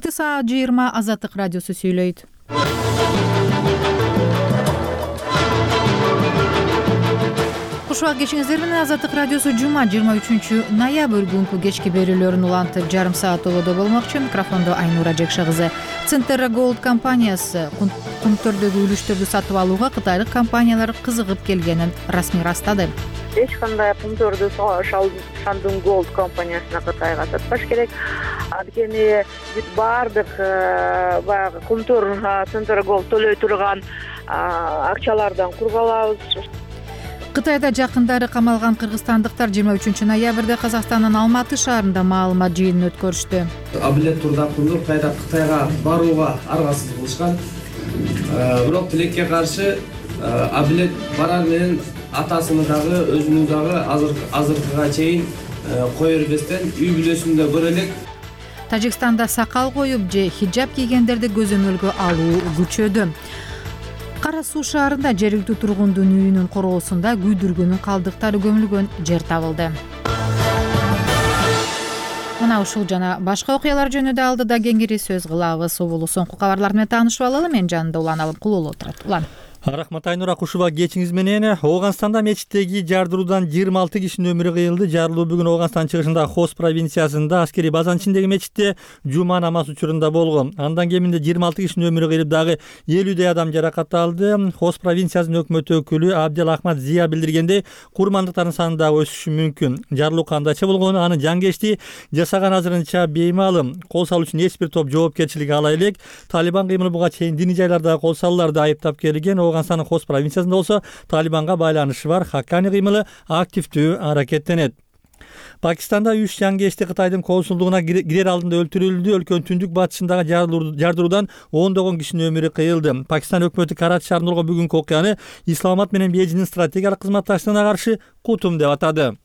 Убакыты саат 20. Азаттык радиосу сүйлөйт. Кушубак кечиңиздер менен Азаттык радиосу жума 23-ноябрь күнкү кечки берүүлөрүн улантып жарым саат толодо болмокчу. Микрофондо Айнура Жекша кызы. Центра Gold компаниясы кунттөрдөгү үлүштөрдү сатып алууга кытайлык компаниялар кызыгып келгенин расмий растады. Эч кандай кунттөрдү Shandong Gold компаниясына Кытайга сатпаш керек. Анткени бүт баардык баягы кунттөр Центра Gold төлөй турган акчалардан кур калабыз. Кытайда жакындары камалган кыргызстандыктар 23-ноябрда Казакстандын Алматы шаарында маалымат жыйынын өткөрүштү. Абилет Турдакулду Кытайга барууга аргасыз кылышкан. Бирок тилекке каршы Абилет барар менен атасыны дагы өзүнү дагы азыркыга чейин кое бербестен үй бүлөсүндө көрө элек. Тажикстанда сакал коюп же хиджаб кийгендерди көзөмөлгө алуу күчөдү. Кара Суу шаарында жергиликтүү тургундун үйүнүн короосунда күйдүргүнүн калдыктары көмүлгөн жер табылды. Мына ушул жана башка окуялар жөнүндө алдыда кеңири сөз кылабыз. Убулу соңку кабарлар менен таанышып алалы. Мен жанында Улан алып кулулуу отурат. Улан. Рахмат Айнура, кушубак кечиңиз менен. Ооганстанда мечиттеги жардыруудан 26 кишинин өмүрү кыйылды. Жарылуу бүгүн Ооганстан чыгышындагы Хос провинциясында аскерий базанын ичиндеги мечитте жума намаз учурунда болгон. Андан кеминде 26 кишинин өмүрү кыйылып, дагы 50 адам жаракат алды. Хос провинциясынын өкмөт өкүлү Абдел Ахмад Зия билдиргендей, курмандыктардын саны дагы өсүшү мүмкүн. Жарылуу кандайча болгону, аны жангечти жасаган азырынча беймаалым. Кол салуу үчүн эч бир топ жоопкерчилик ала элек. Талибан кыймылы буга чейин диний жайларда кол салууларды айыптап келген. Ооганстандын Хос провинциясында болсо Талибанга байланышы бар Хаккани кыймылы активдүү аракеттенет. Пакистанда 3 жангечти Кытайдын консулдугуна кирер алдында өлтүрүлдү. Өлкөнүн түндүк батышындагы жардыруудан ондогон кишинин өмүрү кыйылды. Пакистан өкмөтү Карачи шаарында болгон бүгүнкү окуяны Исламабад менен Бейжиңдин стратегиялык кызматташтыгына каршы кутум деп атады.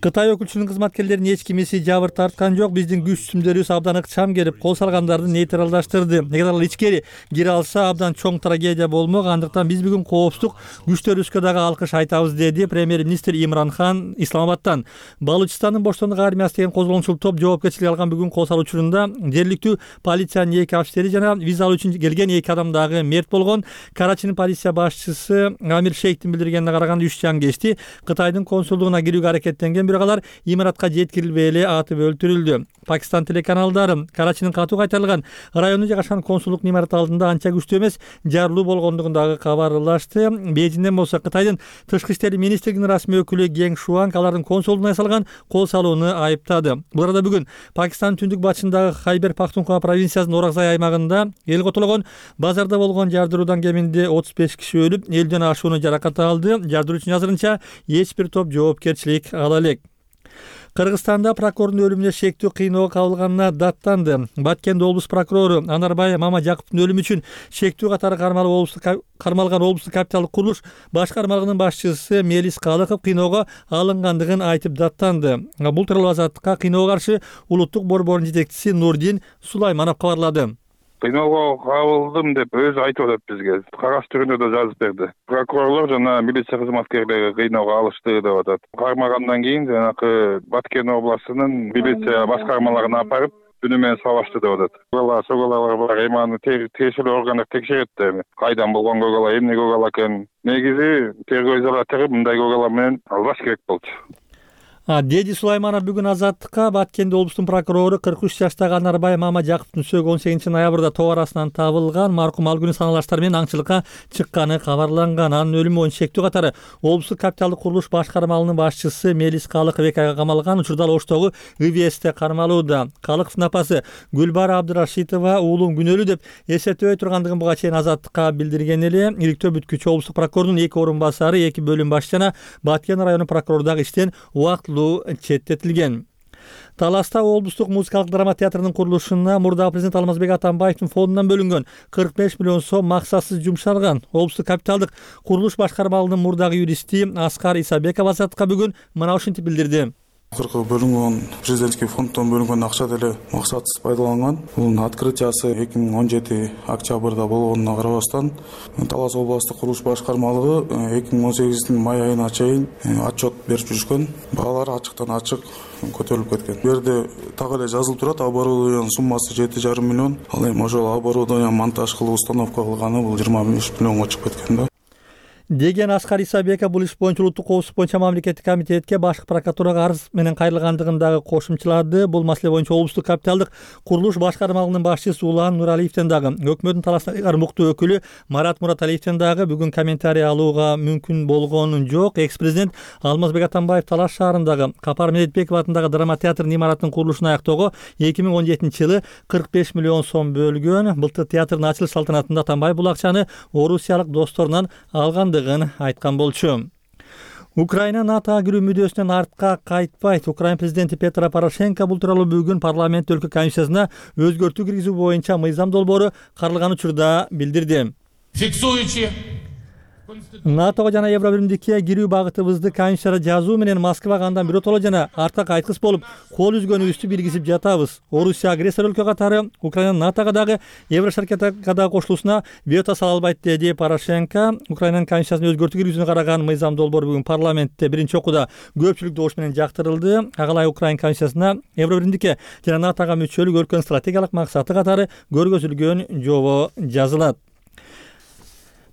Кытай өкүлчүлүгүнүн кызматкерлеринин эч кимиси жабыр тарткан жок. Биздин күч түзүмдөрүбүз абдан ыкчам келип, кол салгандарды нейтралдаштырды. Эгер ал ичкери кире алса, абдан чоң трагедия болмок. Андыктан биз бүгүн коопсуздук күчтөрүбүзгө дагы алкыш айтабыз, деди премьер-министр Имран Хан Исламабадтан. Балучистандын боштондук армиясы деген козголоңчул топ жоопкерчилик алган бүгүн кол салуу учурунда жергиликтүү полициянын 2 офицери жана виза алуу үчүн келген 2 адам дагы мерт болгон. Карачинин полиция башчысы Амир Шейхтин билдиргенине караганда 3 жангечти Кытайдын консулдугуна кирүүгө аракеттенген, бирок алар имаратка жеткирилбей эле атып өлтүрүлдү. Пакистан телеканалдары Карачинин катуу кайтарылган районунда жайгашкан консулдук имараты алдында анча күчтүү эмес жарылуу болгондугун дагы кабарлашты. Бейжиңден болсо Кытайдын тышкы иштер министрлигинин расмий өкүлү Гeng Шуанг алардын консулдугуна ясалган кол салууну айыптады. Бул арада бүгүн Пакистандын түндүк батышындагы Хайбер Пахтунхва провинциясынын Оракзай аймагында эл котологон базарда болгон жардыруудан кеминде 35 киши өлүп, 50ден ашууну жаракат алды. Жардыруу үчүн азырынча эч бир топ жоопкерчилик ала элек. Кыргызстанда прокурордун өлүмүнө шектүү кыйноого кабылганына даттанды. Баткенде облус прокурору Анарбай Мамажаковдун өлүмү үчүн шектүү катары кармалган облустук капиталдык курулуш башкармалыгынын башчысы Мелис Калыков кыйноого алынгандыгын айтып даттанды. Бул тууралуу Азаттыкка кыйноого каршы улуттук борбордун жетекчиси Нурдин Сулайманов кабарлады. Кыйноого кабылдым деп өзү айтып атат бизге. Кагаз түрүндө да жазып берди. Прокурорлор жана милиция кызматкерлери кыйноого алышты деп атат. Кармагандан кийин жанакы Баткен областынын милиция башкармаларына апарып түнү менен салашты деп атат. Көгалалар бар, эми аны тиешелүү органдар текшерет эми. Кайдан болгон көгала, эмне көгала экен. Негизи тергөө изолятору мындай көгала менен албаш керек болчу. Деди Сулайманов бүгүн Азаттыкка Баткенде облустун прокурору 43 жаштагы Анарбай Мамажаковдун сөөгү 18-ноябрда тоо арасынан табылган. Маркум ал күнү саналаштар менен аңчылыкка чыкканы кабарланган. Анын өлүмү боюнча шектүү катары облустук капиталдык курулуш башкармалыгынын башчысы Мелис Калыков 2 айга камалган. Учурда ал Оштогу ИВСте кармалууда. Калыковдун апасы Гүлбара Абдырашитова уулум күнөөлүү деп эсептебей тургандыгын буга чейин Азаттыкка билдирген эле. Иликтөө бүткүчү облустук прокурордун 2 орун басары, 2 бөлүм башчы жана Баткен районунун прокурору дагы иштен четтетилген. Таласта облустук музыкалык драма театрынын курулушуна мурдагы президент Алмазбек Атамбаевдин фондунан бөлүнгөн 45 миллион сом максатсыз жумшалган. Облустук капиталдык курулуш башкармалыгынын мурдагы юристи Аскар Исабеков Азаттыкка бүгүн мына ушинтип билдирди. Акыркы бөлүнгөн президентский фонддон бөлүнгөн акча деле максатсыз пайдаланган. Бунун открытиясы 2017 октябрда болгонуна карабастан Талас областык курулуш башкармалыгы 2018 май айына чейин отчет берип жүрүшкөн. Баалар ачыктан ачык көтөрүлүп кеткен. Бу жерде так эле жазылып турат, оборудованиянын суммасы 7,5 миллион. Ал эми ошол оборудование монтаж кылып установка кылганы бул 25 миллионго чыгып кеткен да. Деген Аскар Исабеков бул иш боюнча улуттук коопсуздук боюнча мамлекеттик комитетке башкы прокуратурага арыз менен кайрылгандыгындагы кошумчалады. Бул маселе боюнча облустук капиталдык курулуш башкармалыгынын башчысы Улан Нуралиевден дагы, өкмөттүн талаштагы муктуу өкүлү Марат Мураталиевден дагы бүгүн комментарий алууга мүмкүн болгон жок. Экс-президент Алмазбек Атамбаев Талаш шаарындагы Капар Медетбеков атындагы драма театрынын имараттын курулушун аяктоого 2017-жылы 45 миллион сом бөлгөн. Былтыр театрдын ачылыш салтанатында Атамбаев бул акчаны орусиялык досторунан алгандыгын айткан болчу. Украина НАТОга кирүү мүдөөсүнөн артка кайтпайт. Украина президенти Петро Порошенко бул тууралуу бүгүн парламент өлкө комиссиясына өзгөртүү киргизүү боюнча мыйзам долбоору каралган учурда билдирди. Фиксуючи НАТОго жана Евробиримдикке кирүү багытыбызды комиссияга жазуу менен Москвага андан биротоло жана артка кайткыс болуп кол үзгөнүбүздү билгизип жатабыз. Орусия агрессор өлкө катары Украина НАТОга дагы Еврошаркетага дагы кошулуусуна вето сала албайт, деди Порошенко. Украинанын комиссиясына өзгөртүү киргизүүнү караган мыйзам долбоору бүгүн парламентте биринчи окууда көпчүлүк добуш менен жактырылды. Агалай Украина комиссиясына Евробиримдикке жана НАТОга мүчөлүк өлкөнүн стратегиялык максаты катары көргөзүлгөн жобо жазылат.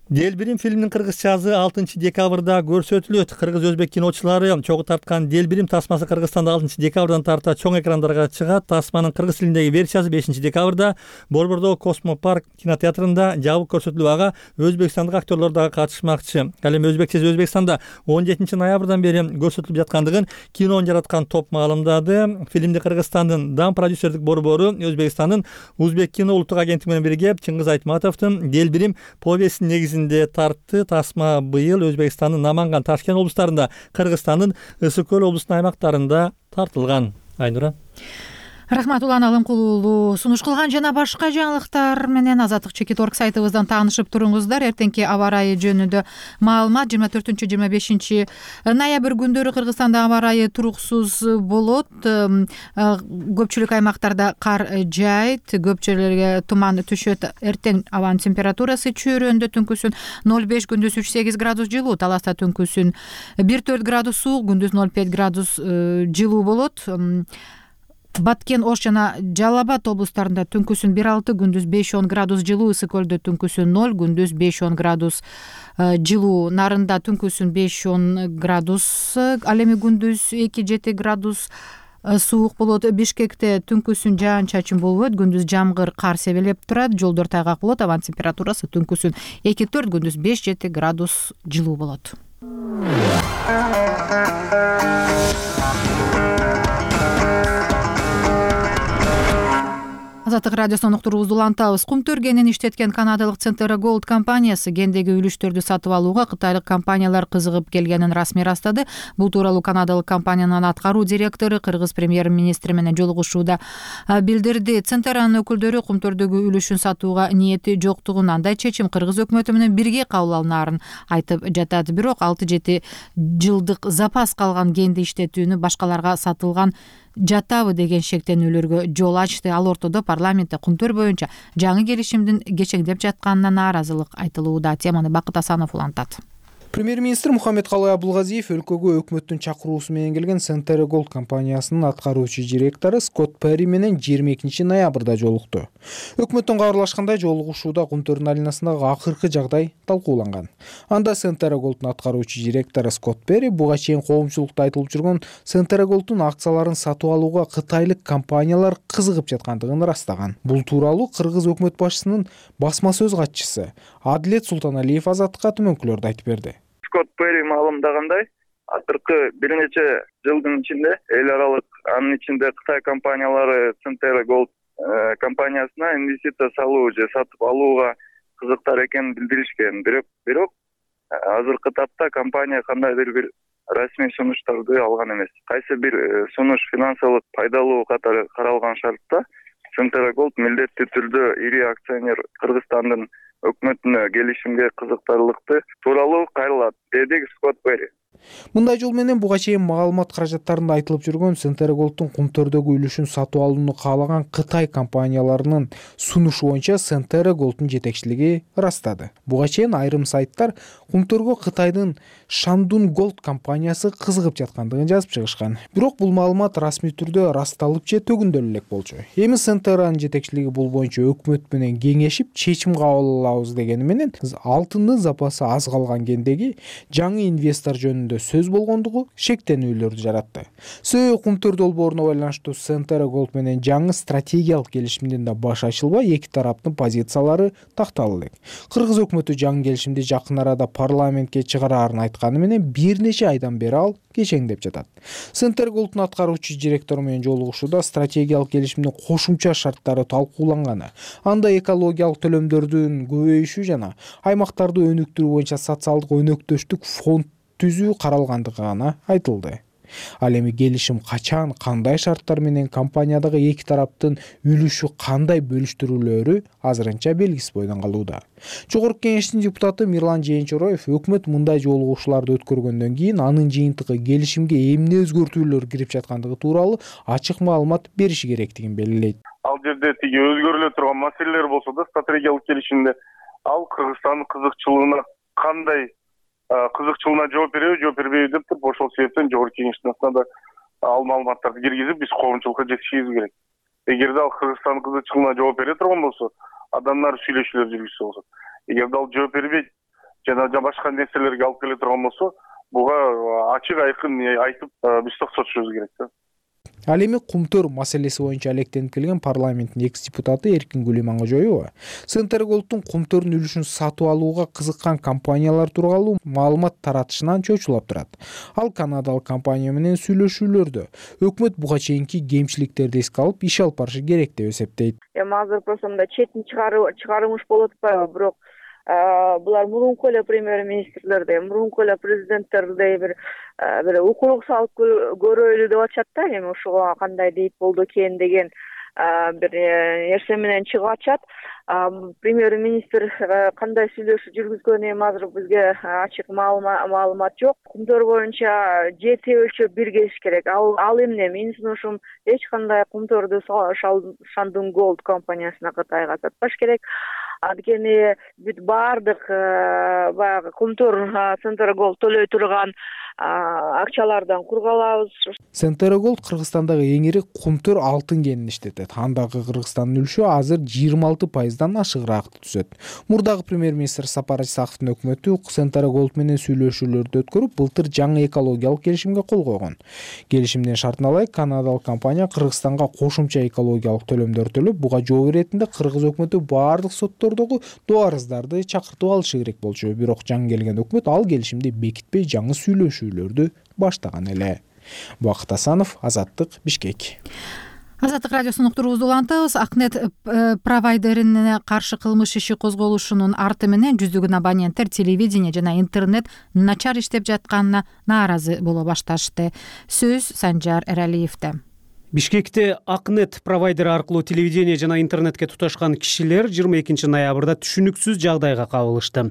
Делбирим фильминин кыргызчасы 6 декабрда көрсөтүлөт. Кыргыз-өзбек киночулары чогуу тарткан Делбирим тасмасы Кыргызстанда 6 декабрдан тарта чоң экрандарга чыгат. Тасманын кыргыз тилиндеги версиясы 5 декабрда Борбордогу Космопарк кинотеатрында жабык көрсөтүлүп, ага өзбекстандык актерлор дагы катышмакчы. Ал эми өзбекчеси Өзбекстанда 17 ноябрдан бери көрсөтүлүп жаткандыгын кинону жараткан топ маалымдады. Фильмди Кыргызстандын дам продюсердик борбору Өзбекстандын Узбек кино улуттук агенттиги менен бирге Чыңгыз Айтматовдун Делбирим повестинин негизинде тартты. Тасма быйыл Өзбекстандын Наманган, Ташкент облустарында, Кыргызстандын Ысык көл облусунун аймактарында тартылган. Айнура. Рахмат Улан Алымкулуулу сунуш кылган жана башка жаңылыктар менен Азаттык Чекит.орг сайтыбыздан таанышып туруңуздар. Эртеңки аба ырайы жөнүндө маалымат 24-25 ноябрь күндөрү Кыргызстанда аба ырайы туруксуз болот. Көпчүлүк аймактарда кар жаайт, көп жерлерге туман түшөт. Эртең абанын температурасы чөйрөндө түнкүсүн 0,5, күндүз 3,8 градус жылуу, Таласта түнкүсүн 1,4 градус суук, күндүз 0,5 градус жылуу болот. Баткен, Ош жана Жалал-Абад облустарында түнкүсүн 1,6, күндүз 5,10 градус жылуу, Ысык көлдө түнкүсүн 0, күндүз 5,10 градус жылуу, Нарында түнкүсүн 5,10 градус, ал эми күндүз 2,7 градус суук болот. Бишкекте түнкүсүн жаан-чачын болбойт, күндүз жамгыр, кар себелеп турат, жолдор тайгак болот, абанын температурасы түнкүсүн 2,4, күндүз 5,7 градус жылуу болот. Азаттык радиосунун уктуруубузду улантабыз. Кумтөр кенин иштеткен канадалык Centera Gold компаниясы кендеги үлүштөрдү сатып алууга кытайлык компаниялар кызыгып келгенин расмий ырастады. Бул тууралуу канадалык компаниянын аткаруу директору кыргыз премьер-министри менен жолугушууда билдирди. Centera'нын өкүлдөрү кумтөрдөгү үлүшүн сатууга ниети жоктугун, андай чечим кыргыз өкмөтү менен бирге кабыл алынаарын айтып жатат. Бирок 6-7 жылдык запас калган кенди иштетүүнү башкаларга сатылган жатабы деген шектенүүлөргө жол ачты. Ал ортодо парламентте кумтөр боюнча жаңы келишимдин кечеңдеп жатканына нааразылык айтылууда. Теманы Бакыт Асанов улантат. Премьер-министр Мухаммедкалый Абулгазиев өлкөгө өкмөттүн чакыруусу менен келген Centera Gold компаниясынын аткаруучу директору Скотт Перри менен 22 ноябрда жолукту. Өкмөттөн кабарлашкандай, жолугушууда кумтөрдүн аренасындагы акыркы жагдай талкууланган. Анда Centera Gold'ун аткаруучу директору Скотт Перри буга чейин коомчулукта айтылып жүргөн Centera Gold'ун акцияларын сатып алууга кытайлык компаниялар кызыгып жаткандыгын ырастаган. Бул тууралуу кыргыз өкмөт башчысынын басма сөз катчысы Адилет Султаналиев Азаттыкка төмөнкүлөрдү айтып берди. Скотт Перри маалымдагандай, акыркы бир нече жылдын ичинде эл аралык, анын ичинде Кытай компаниялары Centera Gold компаниясына инвестиция салуу же сатып алууга кызыктар экенин билдиришкен. Бирок азыркы тапта компания кандайдыр бир расмий сунуштарды алган эмес. Кайсы бир сунуш финансылык пайдалуу катары каралган шартта Centera Gold милдеттүү түрдө ири акционер Кыргызстандын өкмөтүнө келишимге кызыктарлыкты тууралуу кайрылат, деди Скотт Перри. Мындай жол менен буга чейин маалымат каражаттарында айтылып жүргөн Центр Голдтун кумтөрдөгү үлүшүн сатып алууну каалаган Кытай компанияларынын сунушу боюнча Центр Голдтун жетекчилиги ырастады. Буга чейин айрым сайттар кумтөргө Кытайдын Шандун Голд компаниясы кызыгып жаткандыгын жазып чыгышкан. Бирок бул маалымат расмий түрдө ырасталып же төгүндөлүп элек болчу. Эми Центр'нын жетекчилиги бул боюнча өкмөт менен кеңешип чечим кабыл алабыз дегени менен алтындын запасы аз калган кендеги жаңы инвестор жөнүндө сөз болгондугу шектенүүлөрдү жаратты. Сөө кумтөр долбооруна байланыштуу Центр Голд менен жаңы стратегиялык келишимден да баш ачылбай, эки тараптын позициялары такталып элек. Кыргыз өкмөтү жаңы келишимди жакын арада парламентке чыгарарын айтканы менен бир нече айдан бери ал кечеңдеп жатат. Центр Голдтун аткаруучу директору менен жолугушууда стратегиялык келишимдин кошумча шарттары талкууланганы, анда экологиялык төлөмдөрдүн көбөйүшү жана аймактарды өнүктүрүү боюнча социалдык өнөктөштүк фонд түзүү каралгандыгы гана айтылды. Ал эми келишим качан, кандай шарттар менен компаниядагы эки тараптын үлүшү кандай бөлүштүрүлөөрү азырынча белгисиз бойдон калууда. Жогорку кеңештин депутаты Мирлан Жээнчороев өкмөт мындай жолугушууларды өткөргөндөн кийин анын жыйынтыгы келишимге эмне өзгөртүүлөр кирип жаткандыгы тууралуу ачык маалымат бериши керектигин белгилейт. Ал жерде тиги өзгөрүлө турган маселелер болсо да стратегиялык келишимде ал Кыргызстандын кызыкчылыгына кандай кызыкчылыгына жооп бербейби деп туруп, ошол себептен жогорку кеңештин атынан ал маалыматтарды киргизип биз коомчулукка жеткизишибиз керек. Эгерде ал Кыргызстандын кызыкчылыгына жооп бере турган болсо, адамдар сүйлөшүүлөр жүргүзсө болот. Эгерде ал жооп бербейт жана башка нерселерге алып келе турган болсо, буга ачык айкын айтып биз токтотушубуз керек да. Ал эми кумтөр маселеси боюнча алектенип келген парламенттин экс-депутаты Эркин Гулимангожоева Центр Голдтун кумтөрдүн үлүшүн сатып алууга кызыккан компаниялар тууралуу маалымат таратышынан чочулап турат. Ал канадалык компания менен сүйлөшүүлөрдө өкмөт буга чейинки кемчиликтерди эске алып иш алып барышы керек деп эсептейт. Эми азыр просто мындай четин чыгарымыш болуп атпайбы, бирок булар мурунку эле премьер-министрлердей, мурунку эле президенттердей бир укук салып көрөлү деп атышат да. Эми ушуга кандай дейт болду экен деген бир нерсе менен чыгып атышат. Премьер-министр кандай сүйлөшүү жүргүзгөнү эми азыр бизге ачык маалымат жок. Кумтөр боюнча жети өлчөп биргизиш керек. Ал эмне? Менин сунушум эч кандай кумтөрдү Шандун Голд компаниясына Кытайга сатпаш керек. Анткени бүт баардык баягы кумтөр Центр Голд төлөй турган акчалардан кур калабыз. Центр Голд Кыргызстандагы эң ири кумтөр алтын кенин иштетет. Андагы Кыргызстандын үлүшү азыр 26%дан ашыгыраакты түзөт. Мурдагы премьер-министр Сапар Исаковдун өкмөтү Центр Голд менен сүйлөшүүлөрдү өткөрүп, былтыр жаңы экологиялык келишимге кол койгон. Келишимдин шартына ылайык канадалык компания Кыргызстанга кошумча экологиялык төлөмдөр төлөп, буга жооп иретинде кыргыз өкмөтү баардык соттордогу дуарыздарды чакыртып алышы керек болчу. Бирок жаңы келген өкмөт ал келишимди бекитпей жаңы сүйлөшүүлөрдү баштаган эле. Бакыт Асанов, Азаттык, Бишкек. Азаттык радиосунун уктуруубузду улантабыз. Акнет провайдерине каршы кылмыш иши козголушунун арты менен жүздөгөн абоненттер телевидение жана интернет начар иштеп жатканына нааразы боло башташты. Сөз Санжар Эралиевде. Бишкекте Акнет провайдери аркылуу телевидение жана интернетке туташкан кишилер 22 ноябрда түшүнүксүз жагдайга кабылышты.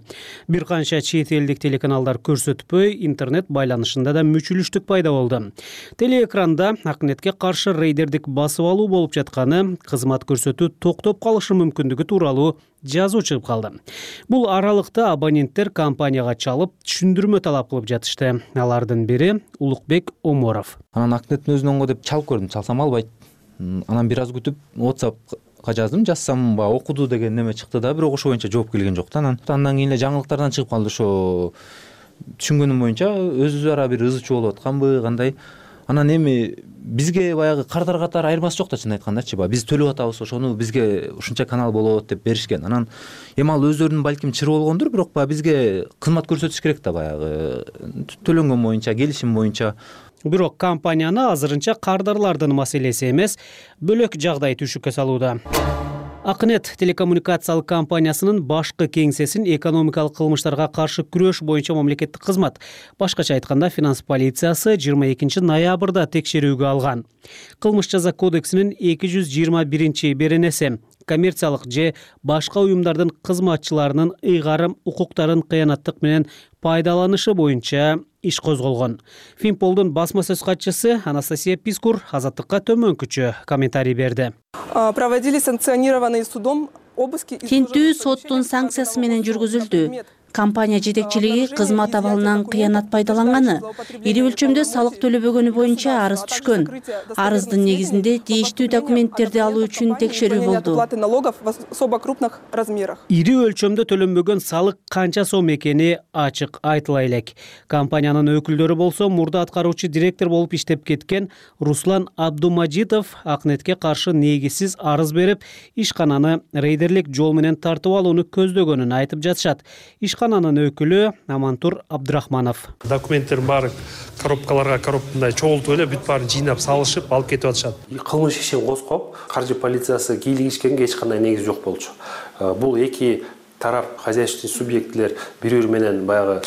Бир канча чет элдик телеканалдар көрсөтпөй, интернет байланышында да мүчүлүштүк пайда болду. Телеэкранда Акнетке каршы рейдердик басып алуу болуп жатканы, кызмат көрсөтүү токтоп калышы мүмкүндүгү тууралуу жазуу чыгып калды. Бул аралыкта абоненттер компанияга чалып, түшүндүрмө талап кылып жатышты. Алардын бири Улукбек Оморов. Анан Акнеттин өзүнөн деп чалып көрдүм, чалсам албайт. Анан бир аз күтүп WhatsAppка жаздым, жазсам окуду деген неме чыкты да, бирок ошо боюнча жооп келген жок да. Андан кийин эле жаңылыктардан чыгып калды. Ошо түшүнгөнүм боюнча өзү ара бир ызы чуу болуп атканбы, кандай. Анан эми бизге баягы кардар катары айырмасы жок да, чын айткандачы. Биз төлөп атабыз, ошону бизге ушунча канал болот деп беришкен. Анан эми ал өздөрүнүн балким чыры болгондур, бирок бизге кызмат көрсөтүш керек да, баягы төлөнгөн боюнча, келишим боюнча. Бирок компанияны азырынча кардарлардын маселеси эмес, бөлөк жагдай түшүккө салууда. Акнет телекоммуникациялык компаниясынын башкы кеңсесин экономикалык кылмыштарга каршы күрөш боюнча мамлекеттик кызмат, башкача айтканда финанс полициясы 22 ноябрда текшерүүгө алган. Кылмыш жаза кодексинин 221 беренеси коммерциялык же башка уюмдардын кызматчыларынын ыйгарым укуктарын кыянаттык менен пайдаланышы боюнча иш козголгон. Финполдун басма сөз катчысы Анастасия Пискур Азаттыкка төмөнкүчө комментарий берди. Проводили санкционированные судом обыски. Тинтүү соттун санкциясы менен жүргүзүлдү. Компания жетекчилиги кызмат абалынан кыянат пайдаланганы, ири өлчөмдө салык төлөбөгөнү боюнча арыз түшкөн. Арыздын негизинде тийиштүү документтерди алуу үчүн текшерүү болду. Ири өлчөмдө төлөнбөгөн салык канча сом экени ачык айтыла элек. Компаниянын өкүлдөрү болсо мурда аткаруучу директор болуп иштеп кеткен Руслан Абдумажитов Акнетке каршы негизсиз арыз берип, ишкананы рейдерлик жол менен тартып алууну көздөгөнүн айтып жатышат. Ишкананын өкүлү Амантур Абдрахманов. Документтердин баары коробкаларга мындай чогултуп эле бүт баарын жыйнап салышып алып кетип атышат. Кылмыш ишин козгоп, каржы полициясы кийлигишкенге эч кандай негиз жок болчу. Бул эки тарап хозяйственный субъектлер бири-бири менен баягы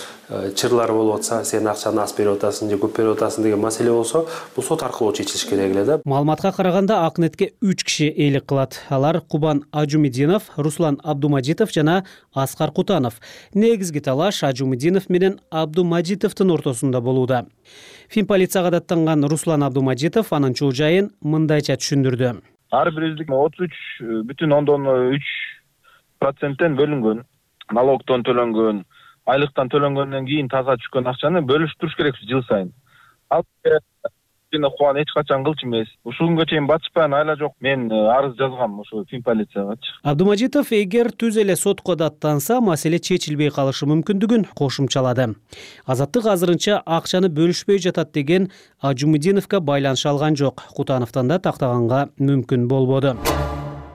чырлар болуп атса, сен акчаны аз берип атасың же көп берип атасың деген маселе болсо, бул сот аркылуу чечилиш керек эле да. Маалыматка караганда Акнетке 3 киши ээлик кылат. Алар Кубан Ажумидинов, Руслан Абдумажитов жана Аскар Кутанов. Негизги талаш Ажумидинов менен Абдумажитовдун ортосунда болууда. Фин полицияга даттанган Руслан Абдумажитов анын чуу жайын мындайча түшүндүрдү. Ар бириздик 33,9% бөлүнгөн, налогтон төлөнгөн, айлыктан төлөнгөндөн кийин таза түшкөн акчаны бөлүшүп туруш керекпиз жыл сайын. Ал кубан эч качан кылчу эмес. Ушул күнгө чейин батышпайан айла жок. Мен арыз жазгам ушу Фин полициягачы. Абдумажитов эгер түз эле сотко даттанса, маселе чечилбей калышы мүмкүндүгүн кошумчалады. Азаттык азырынча акчаны бөлүшпөй жатат деген Ажумидиновго байланыша алган жок. Кутановдон да тактаганга мүмкүн болбоду.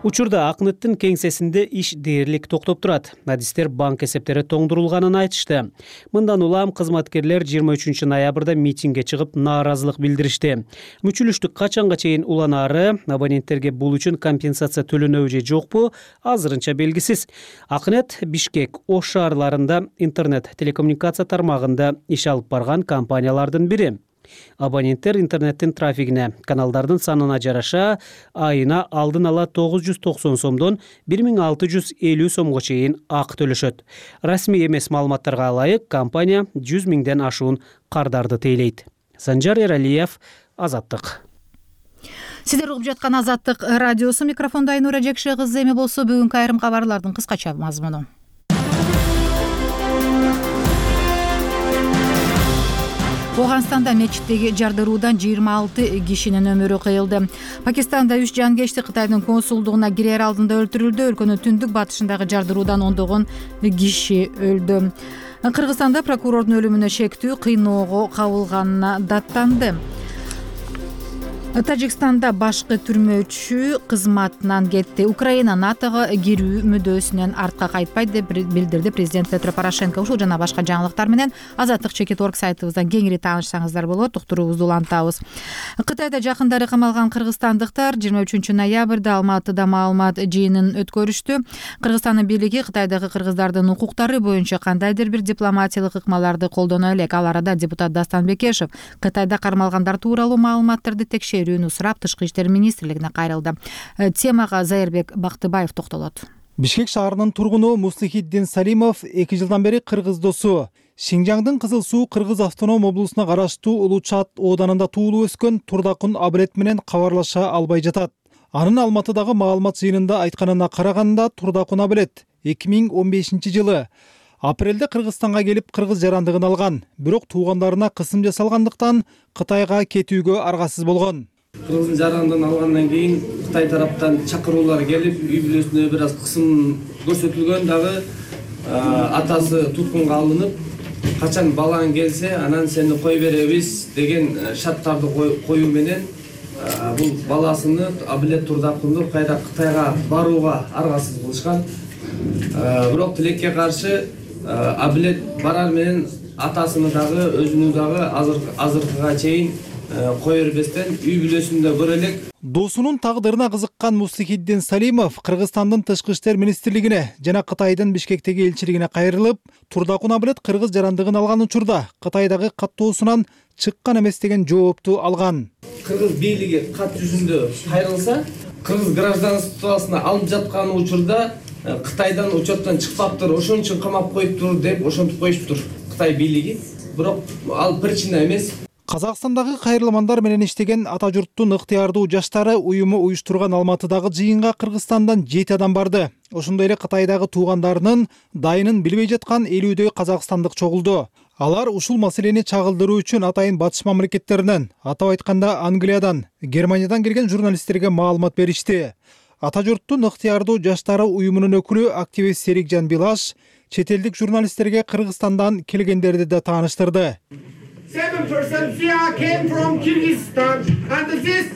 Учурда Акнеттин кеңсесинде иш дээрлик токтоп турат. Адистер банк эсептери тоңдурулганын айтышты. Мындан улам кызматкерлер 23 ноябрда митингге чыгып нааразылык билдиришти. Мүчүлүштүк качанга чейин уланаары, абоненттерге бул үчүн компенсация төлөнөбү же жокпу, азырынча белгисиз. Акнет Бишкек, Ош шаарларында интернет телекоммуникация тармагында иш алып барган компаниялардын бири. Абоненттер интернеттин трафигине, каналдардын санына жараша айына алдын ала 990 сомдон 1650 сомго чейин акы төлөшөт. Расмий эмес маалыматтарга ылайык, компания 100 миңден ашуун кардарды тейлейт. Санжар Эралиев, Азаттык. Сиздер угуп жаткан Азаттык радиосу, микрофондо Айнура Жекше кызы. Эми болсо бүгүнкү айрым кабарлардын кыскача мазмуну. Афганстанда мечиттеги жардыруудан 26 кишинин өмүрү кыйылды. Пакистанда 3 жангечти Кытайдын консулдугуна кирер алдында өлтүрүлдү. Өлкөнүн түндүк батышындагы жардыруудан ондогон киши өлдү. Кыргызстанда прокурордун өлүмүнө шектүү кыйноого кабылганына даттанды. Тажикстанда башкы түрмөчү кызматынан кетти. Украина НАТОго кирүү мүдөөсүнөн артка кайтпайт деп билдирди президент Петро Порошенко. Ушул жана башка жаңылыктар менен Азаттык.org сайтыбыздан кеңири таанышсаңыздар болот. Уктуруубузду улантабыз. Кытайда жакындары камалган кыргызстандыктар 23 ноябрда Алматыда маалымат жыйынын өткөрүштү. Кыргызстандын бийлиги Кытайдагы кыргыздардын укуктары боюнча кандайдыр бир дипломатиялык ыкмаларды колдоно элек. Ал арада депутат Дастан Бекешев Кытайда кармалгандар тууралуу маалыматтарды текшерүүнү сурап Тышкы иштер министрлигине кайрылды. Темага Зайырбек Бактыбаев токтолот. Бишкек шаарынын тургуну Муслихиддин Салимов 2 жылдан бери кыргыз досу. Шинжаңдын Кызыл Суу Кыргыз автоном облусуна караштуу Улучат ооданында туулуп өскөн Турдакун Абылет менен кабарлаша албай жатат. Анын Алматыдагы маалымат жыйынында айтканына караганда Турдакун Абылет 2015 жылы апрелде Кыргызстанга келип кыргыз жарандыгын алган. Бирок туугандарына кысым жасалгандыктан Кытайга кетүүгө аргасыз болгон. Кыргыздын жарандыгын алгандан кийин Кытай тараптан чакыруулар келип, үй бүлөсүнө бир аз кысым көрсөтүлгөн. Дагы атасы туткунга алынып, качан балаң келсе, анан сени кой беребиз деген шарттарды коюу менен бул баласыны Абылет Турдакунду кайра Кытайга барууга аргасыз кылышкан. Бирок тилекке каршы Абылет барар менен атасыны дагы өзүнү дагы азыркыга чейин кое бербестен үй бүлөсүндө көрө элек. Досунун тагдырына кызыккан Муслихиддин Салимов Кыргызстандын Тышкы иштер министрлигине жана Кытайдын Бишкектеги элчилигине кайрылып, Турдакун Абылет кыргыз жарандыгын алган учурда Кытайдагы каттоосунан чыккан эмес деген жоопту алган. Кыргыз бийлиги кат жүзүндө кайрылса, кыргыз гражданствосуна алып жаткан учурда Кытайдан учеттон чыкпаптыр, ошон үчүн камап коюптур деп ошентип коюштур Кытай бийлиги. бирок ал причина эмес. Казакстандагы кайрылмандар менен иштеген ата журттун ыктыярдуу жаштары уюму уюштурган Алматыдагы жыйынга Кыргызстандан 7 адам барды. Ошондой эле Кытайдагы туугандарынын дайынын билбей жаткан 50дөй казакстандык чогулду. Алар ушул маселени чагылдыруу үчүн атайын батыш мамлекеттеринен, атап айтканда Англиядан, Германиядан келген журналисттерге маалымат беришти. Ата журттун ыктыярдуу жаштары уюмунун өкүлү активист Серикжан Билаш чет элдик журналисттерге Кыргызстандан келгендерди да тааныштырды. 7% came from Kyrgyzstan and this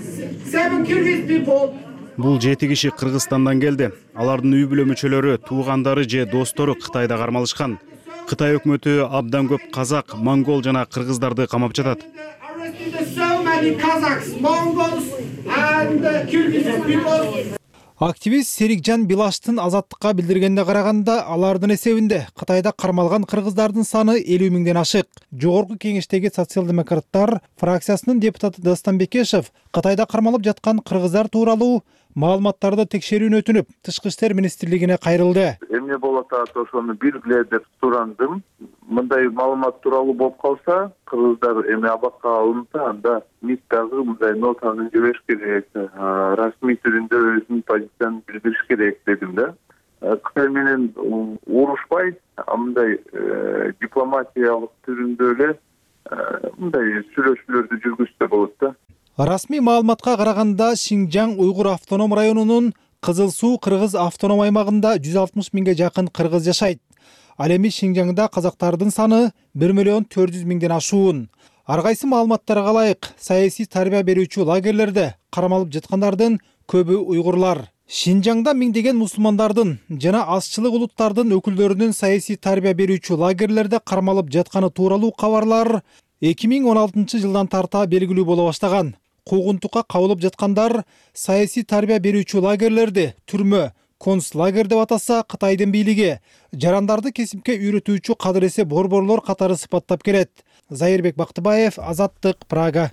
7 Kyrgyz people. Бул 7 киши Кыргызстандан келди. Алардын үй бүлө мүчөлөрү, туугандары же достору Кытайда кармалышкан. Кытай өкмөтү абдан көп казак, монгол жана кыргыздарды камап жатат. Активист Серикжан Билаштын Азаттыкка билдиргенде караганда, алардын эсебинде Кытайда кармалган кыргыздардын саны 50 миңден ашык. Жогорку кеңештеги социал-демократтар фракциясынын депутаты Дастан Бекешев Кытайда кармалып жаткан кыргыздар тууралуу маалыматтарды текшерүүнү өтүнүп, Тышкы иштер министрлигине кайрылды. Эмне болуп атат ошону билгиле деп сурандым. Мындай маалымат тууралуу болуп калса, кыргыздар эми абакка алынса, анда МИД дагы мындай нотаны жибериш керек, расмий түрүндө өзүнүн позициясын билдириш керек дедим да. Кытай менен урушпай, мындай дипломатиялык түрүндө эле мындай сүйлөшүүлөрдү жүргүзсө болот да. Расмий маалыматка караганда Шинжаң Уйгур автоном районунун Кызыл Суу кыргыз автоном аймагында 160 миңге жакын кыргыз жашайт. Ал эми Шинжаңда казактардын саны 1,4 миңден ашуун. Ар кайсы маалыматтарга ылайык, саясий тарбия берүүчү лагерлерде кармалып жаткандардын көбү уйгурлар. Шинжаңда миңдеген мусулмандардын жана азчылык улуттардын өкүлдөрүнүн саясий тарбия берүүчү лагерлерде кармалып жатканы тууралуу кабарлар 2016 жылдан тарта белгилүү боло баштаган. Куугунтукка кабылып жаткандар саясий тарбия берүүчү лагерлерди түрмө, концлагер деп атаса Кытайдын бийлиги жарандарды кесипке үйрөтүүчү кадыресе борборлор катары сыпаттап келет. Зайырбек Бактыбаев, Азаттык, Прага.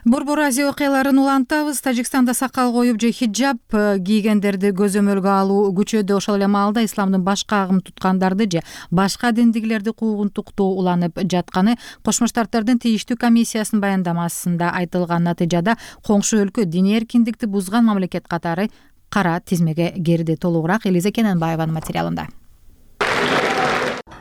Борбор Азия окуяларын улантабыз. Тажикстанда сакал коюп же хиджаб кийгендерди көзөмөлгө алуу күчөдө. Ошол эле маалда исламдын башка агым туткандарды же башка диндигилерди куугунтуктоо уланып жатканы Кошмо Штаттардын тийиштүү комиссиясынын баяндамасында айтылган. Натыйжада коңшу өлкө диний эркиндикти бузган мамлекет катары кара тизмеге кирди. Толугураак Элиза Кененбаеванын материалында.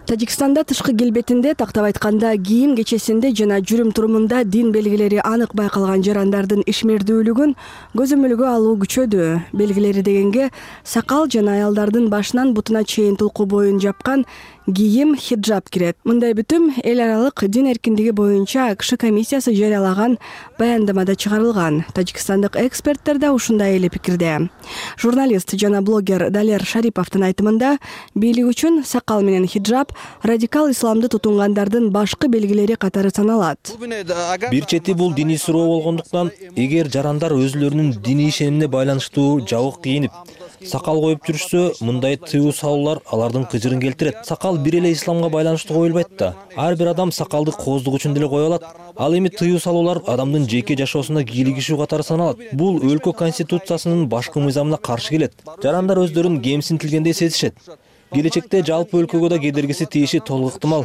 Тажикстанда тышкы келбетинде, тактап айтканда кийим кечесинде жана жүрүм-турумунда дин белгилери анык байкалган жарандардын ишмердүүлүгүн көзөмөлгө алуу күчөдү. Белгилери дегенге сакал жана аялдардын башынан бутуна чейин тулку боюн жапкан кийим хиджаб кирет. Мындай бүтүм эл аралык дин эркиндиги боюнча АКШ комиссиясы жарыялаган баяндамада чыгарылган. Тажикстандык эксперттер да ушундай эле пикирде. Журналист жана блогер Далер Шариповдун айтымында, бийлик үчүн сакал менен хиджаб радикал исламды тутунгандардын башкы белгилери катары саналат. Бир чети бул диний суроо болгондуктан, эгер жарандар өзүлөрүнүн диний ишенимине байланыштуу жабык кийинип, сакал коюп жүрүшсө, мындай тыюу салуулар алардын кыжырын келтирет. Сакал бир эле исламга байланыштуу коюлбайт да. Ар бир адам сакалды кооздук үчүн деле кое алат. Ал эми тыюу салуулар адамдын жеке жашоосуна кийлигишүү катары саналат. Бул өлкө конституциясынын башкы мыйзамына каршы келет. Жарандар өздөрүн кемсинтилгендей сезишет. Келечекте жалпы өлкөгө да кедергиси тийиши толук ыктымал.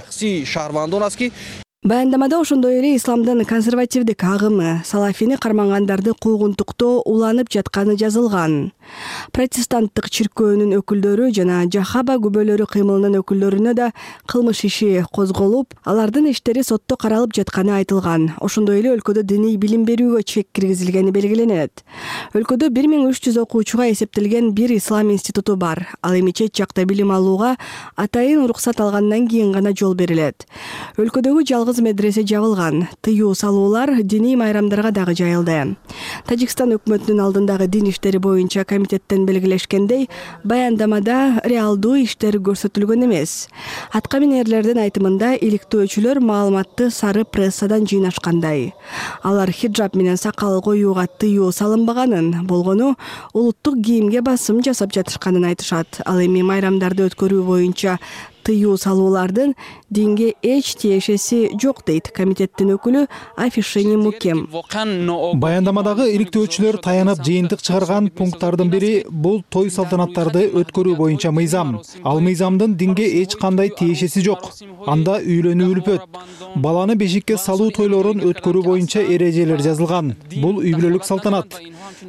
Баяндамада ошондой эле исламдын консервативдик агымы салафини кармангандарды куугунтуктоо уланып жатканы жазылган. Протестанттык чиркөөнүн өкүлдөрү жана Жахаба күбөлөрү кыймылынын өкүлдөрүнө да кылмыш иши козголуп, алардын иштери сотто каралып жатканы айтылган. Ошондой эле өлкөдө диний билим берүүгө чек киргизилгени белгиленет. Өлкөдө 1300 окуучуга эсептелген бир ислам институту бар. Ал эми чет жакта билим алууга атайын уруксат алгандан кийин гана жол берилет. Өлкөдөгү жалгыз медресе жабылган. Тыюу салуулар диний майрамдарга дагы жайылды. Тажикстан өкмөтүнүн алдындагы дин иштери боюнча комитеттен белгилешкендей, баяндамада реалдуу иштер көрсөтүлгөн эмес. Аткаминерлердин айтымында иликтөөчүлөр маалыматты сары прессадан жыйнашкандай. Алар хиджаб менен сакал коюуга тыюу салынбаганын, болгону улуттук кийимге басым жасап жатышканын айтышат. Ал эми майрамдарды өткөрүү боюнча тыюу салуулардын динге эч тиешеси жок дейт комитеттин өкүлү Афишени Мукем. Баяндамадагы иликтөөчүлөр таянып жыйынтык чыгарган пункттардын бири бул той салтанаттарды өткөрүү боюнча мыйзам. Ал мыйзамдын динге эч кандай тиешеси жок. Анда үйлөнүү үлпөт. Баланы бешикке салуу тойлорун өткөрүү боюнча эрежелер жазылган. Бул үй бүлөлүк салтанат.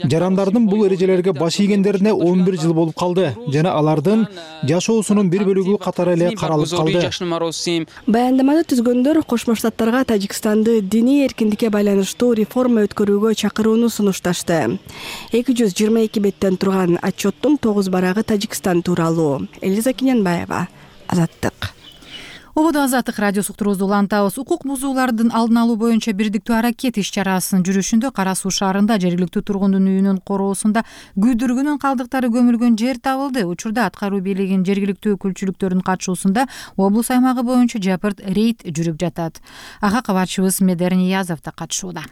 Жарандардын бул эрежелерге баш ийгендерине 11 жыл болуп калды жана алардын жашоосунун бир бөлүгү катары эле каралып калды. Баяндаманы түзгөндөр Кошмо Штаттарга Тажикстанды диний эркиндикке байланыштуу реформа өткөрүүгө чакырууну сунушташты. 222 беттен турган отчеттун 9 барагы Тажикстан тууралуу. Элиза Кинянбаева, Азаттык. Ободо Азаттык радиосу уктуруубузду улантабыз. Укук бузуулардын алдын алуу боюнча бирдиктүү аракет иш-чарасынын жүрүшүндө Кара Суу шаарында жергиликтүү тургундун үйүнүн короосунда күйдүргүнүн калдыктары көмүлгөн жер табылды. Учурда аткаруу бийлигинин жергиликтүү өкүлчүлүктөрүнүн катышуусунда облус аймагы боюнча жапырт рейд жүрүп жатат. Ага кабарчыбыз Медер Ниязов да катышууда.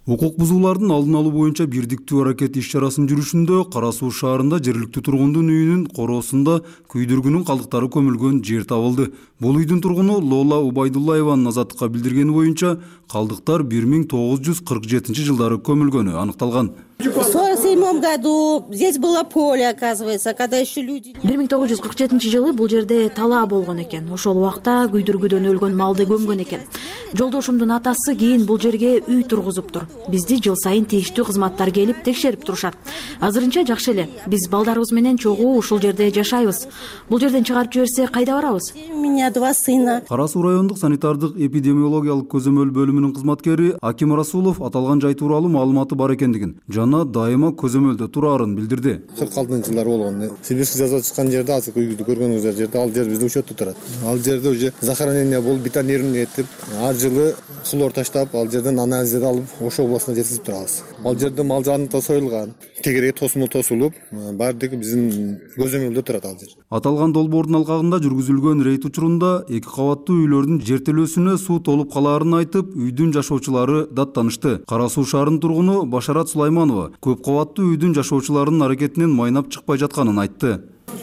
Укук бузуулардын алдын алуу боюнча бирдиктүү аракет иш-чарасынын жүрүшүндө Кара Суу шаарында жергиликтүү тургундун үйүнүн короосунда күйдүргүнүн калдыктары көмүлгөн жер табылды. Бул үйдүн тургуну Лола Убайдуллаеванын Азаттыкка билдиргени боюнча калдыктар 1947 жылдары көмүлгөнү аныкталган. В 1947 году здесь было поле, оказывается, когда еще люди... 1947 жылы бул жерде талаа болгон экен. Ошол убакта күйдүргүдөн өлгөн малды көмгөн экен. Жолдошумдун атасы кийин бул жерге үй тургузуптур. Бизди жыл сайын тийиштүү кызматтар келип текшерип турушат. Азырынча жакшы эле. Биз балдарыбыз менен чогуу ушул жерде жашайбыз. Бул жерден чыгарып жиберсе кайда барабыз? У меня 2 сына. Кара Суу райондук санитардык эпидемиологиялык көзөмөл бөлүмүнүн кызматкери Аким Расулов аталган жай тууралуу маалыматы бар экендигин жана дайыма көзөмөлдө тураарын билдирди. 46-жылдар болгон. Сибирский завод чыккан жерде азыр үйдү көргөнүңүздөр жерде ал жер биздин учетто турат. Ал жерде уже захоронение болуп, бетонирование этип, ар жылы хлор таштап, ал жерден анализдер алып, Ош областына жеткизип турабыз. Ал жерде мал жаны да союлган, тегерек тосмол тосулуп, баардыгы биздин көзөмөлдө турат ал жер. Аталган долбоордун алкагында жүргүзүлгөн рейд учурунда 2 кабаттуу үйлөрдүн жертөлөөсүнө суу толуп калаарын айтып, үйдүн жашоочулары даттанышты. Кара Суу шаарынын тургуну Башарат Сулайманова көп кабаттуу үйдүн жашоочуларынын аракетинен майнап чыкпай жатканын айтты.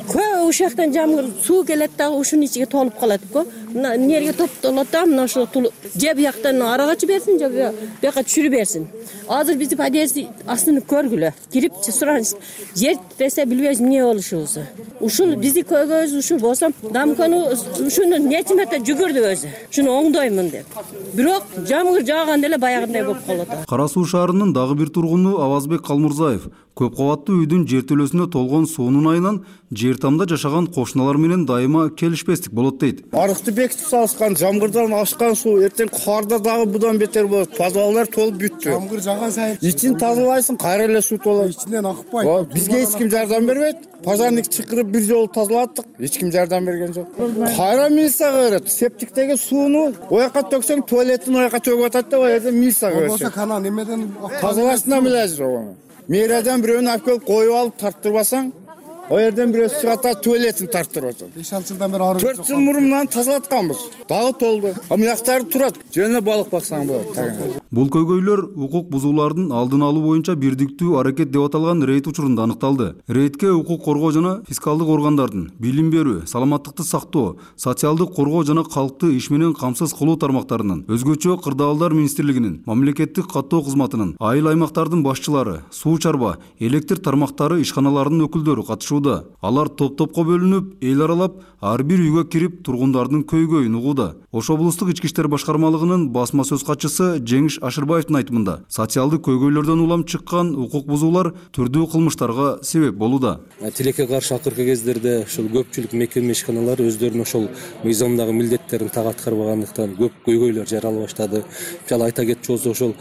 Көп ушактан жамгыр суу келет дагы ушунун ичиге толуп калат го. Мына эмнеге топтолот да, мына ушул же бияктан арага жиберсин, же бияка түшүрүп берсин. Азыр биздин подъезд астын көргүлө. Кирип сураныз, жер десе билбейбиз эмне болушубузду. Ушул бизди көйгөйүбүз ушул болсо, дамканы ушуну нечимете жүгүрдү өзү. Шуну оңдоймун деп. Бирок жамгыр жааганда эле баягындай болуп калат. Кара Суу шаарынын дагы бир тургуну Авазбек Калмурзаев көп кабаттуу үйдүн жертөлөсүнө толгон суунун айынан жер тамда жашаган кошуналар менен дайыма келишпестик болот дейт. Арыкты бекитип салышкан, жамгырдан ашкан суу эртең карда дагы будан бетер болот. Подвалдар толуп бүттү. Жамгыр жаган сайын ичин тазалайсың, кайра эле суу толот. Ичинен акпайт. Бизге эч ким жардам бербейт. Пожарник чакырып бир жолу тазалаттык, эч ким жардам берген жок. Кайра милицияга берет. Септиктеги сууну ояка төксөң, туалеттин ояка төгүп атат деп, аяда милицияга берет. Болбосо канал эмеден тазалашына милажы жок. Мэриядан бирөөнү алып келип коюп алып тартырбасаң, о жерден бирөөсү чыгат, туалеттин тартырып атат. 5 жылдан бери ары 4 жыл мурун мынаны тазалатканбыз. Дагы толду. Мыяктары турат. Жөн эле балык баксаң болот. Бул көйгөйлөр укук бузуулардын алдын алуу боюнча бирдиктүү аракет деп аталган рейд учурунда аныкталды. Рейдке укук коргоо жана фискалдык органдардын, билим берүү, саламаттыкты сактоо, социалдык коргоо жана калкты иш менен камсыз кылуу тармактарынын, өзгөчө кырдаалдар министрлигинин, мамлекеттик каттоо кызматынын, айыл аймактардын башчылары, суу чарба, электр тармактары ишканаларынын өкүлдөрү катышууда. Алар топ-топко бөлүнүп, эл аралап, ар бир үйгө кирип тургундардын көйгөйүн угууда. Ош облустук ички иштер башкармалыгынын басма сөз катчысы Жеңиш Ашырбаевдин айтымында, социалдык көйгөйлөрдөн улам чыккан укук бузуулар түрдүү кылмыштарга себеп болууда. Тилекке каршы акыркы кездерде ушул көпчүлүк мекеме ишканалары өздөрүнүн ошол мыйзамдагы милдеттерин так аткарбагандыктан көп көйгөйлөр жарала баштады. Мисалы айта кетчү болсок, ошол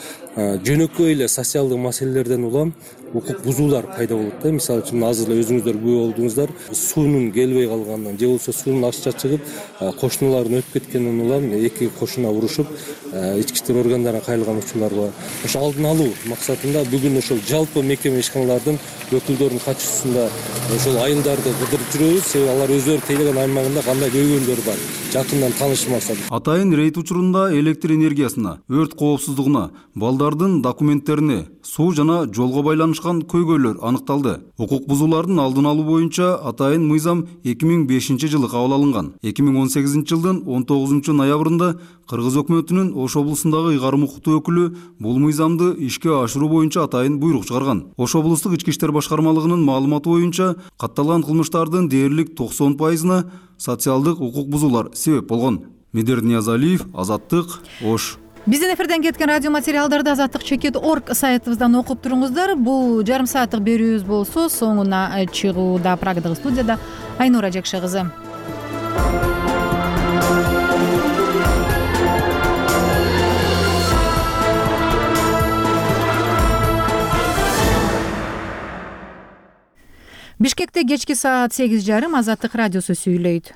жөнөкөй эле социалдык маселелерден улам укук бузуулар пайда болот да. Мисалы үчүн азыр эле өзүңүздөр күбө болдуңуздар, суунун келбей калганынан же болбосо суунун акча чыгып, кошуналардын өтүп кеткенинен улам эки кошуна урушуп, ички иштер органдарына кайрылган учурлар бар. Ошо алдын алуу максатында бүгүн ошол жалпы мекеме ишканалардын өкүлдөрүнүн катышуусунда ошол айылдарды кыдырып жүрөбүз, себеби алар өздөрү тейлеген аймагында кандай көйгөйлөр бар, жакындан таанышуу максатында. Атайын рейд учурунда электр энергиясына, өрт коопсуздугуна, балдардын документтерине, суу жана жолго байланышкан аралашкан көйгөйлөр аныкталды. Укук бузуулардын алдын алуу боюнча атайын мыйзам 2005 жылы кабыл алынган. 2018 жылдын 19 ноябрында Кыргыз өкмөтүнүн Ош облусундагы ыйгарым укуктуу өкүлү бул мыйзамды ишке ашыруу боюнча атайын буйрук чыгарган. Ош облустук ички иштер башкармалыгынын маалыматы боюнча катталган кылмыштардын дээрлик 90%-на социалдык укук бузуулар себеп болгон. Медер Ниязалиев, Азаттык, Ош. Биздин эфирден кеткен радио материалдарды azattik.org сайтыбыздан окуп туруңуздар. Бул жарым сааттык берүүбүз болсо соңуна чыгууда Прагадагы студияда Айнура Жекше кызы. Бишкекте кечки саат 8:30 Азаттык радиосу сүйлөйт.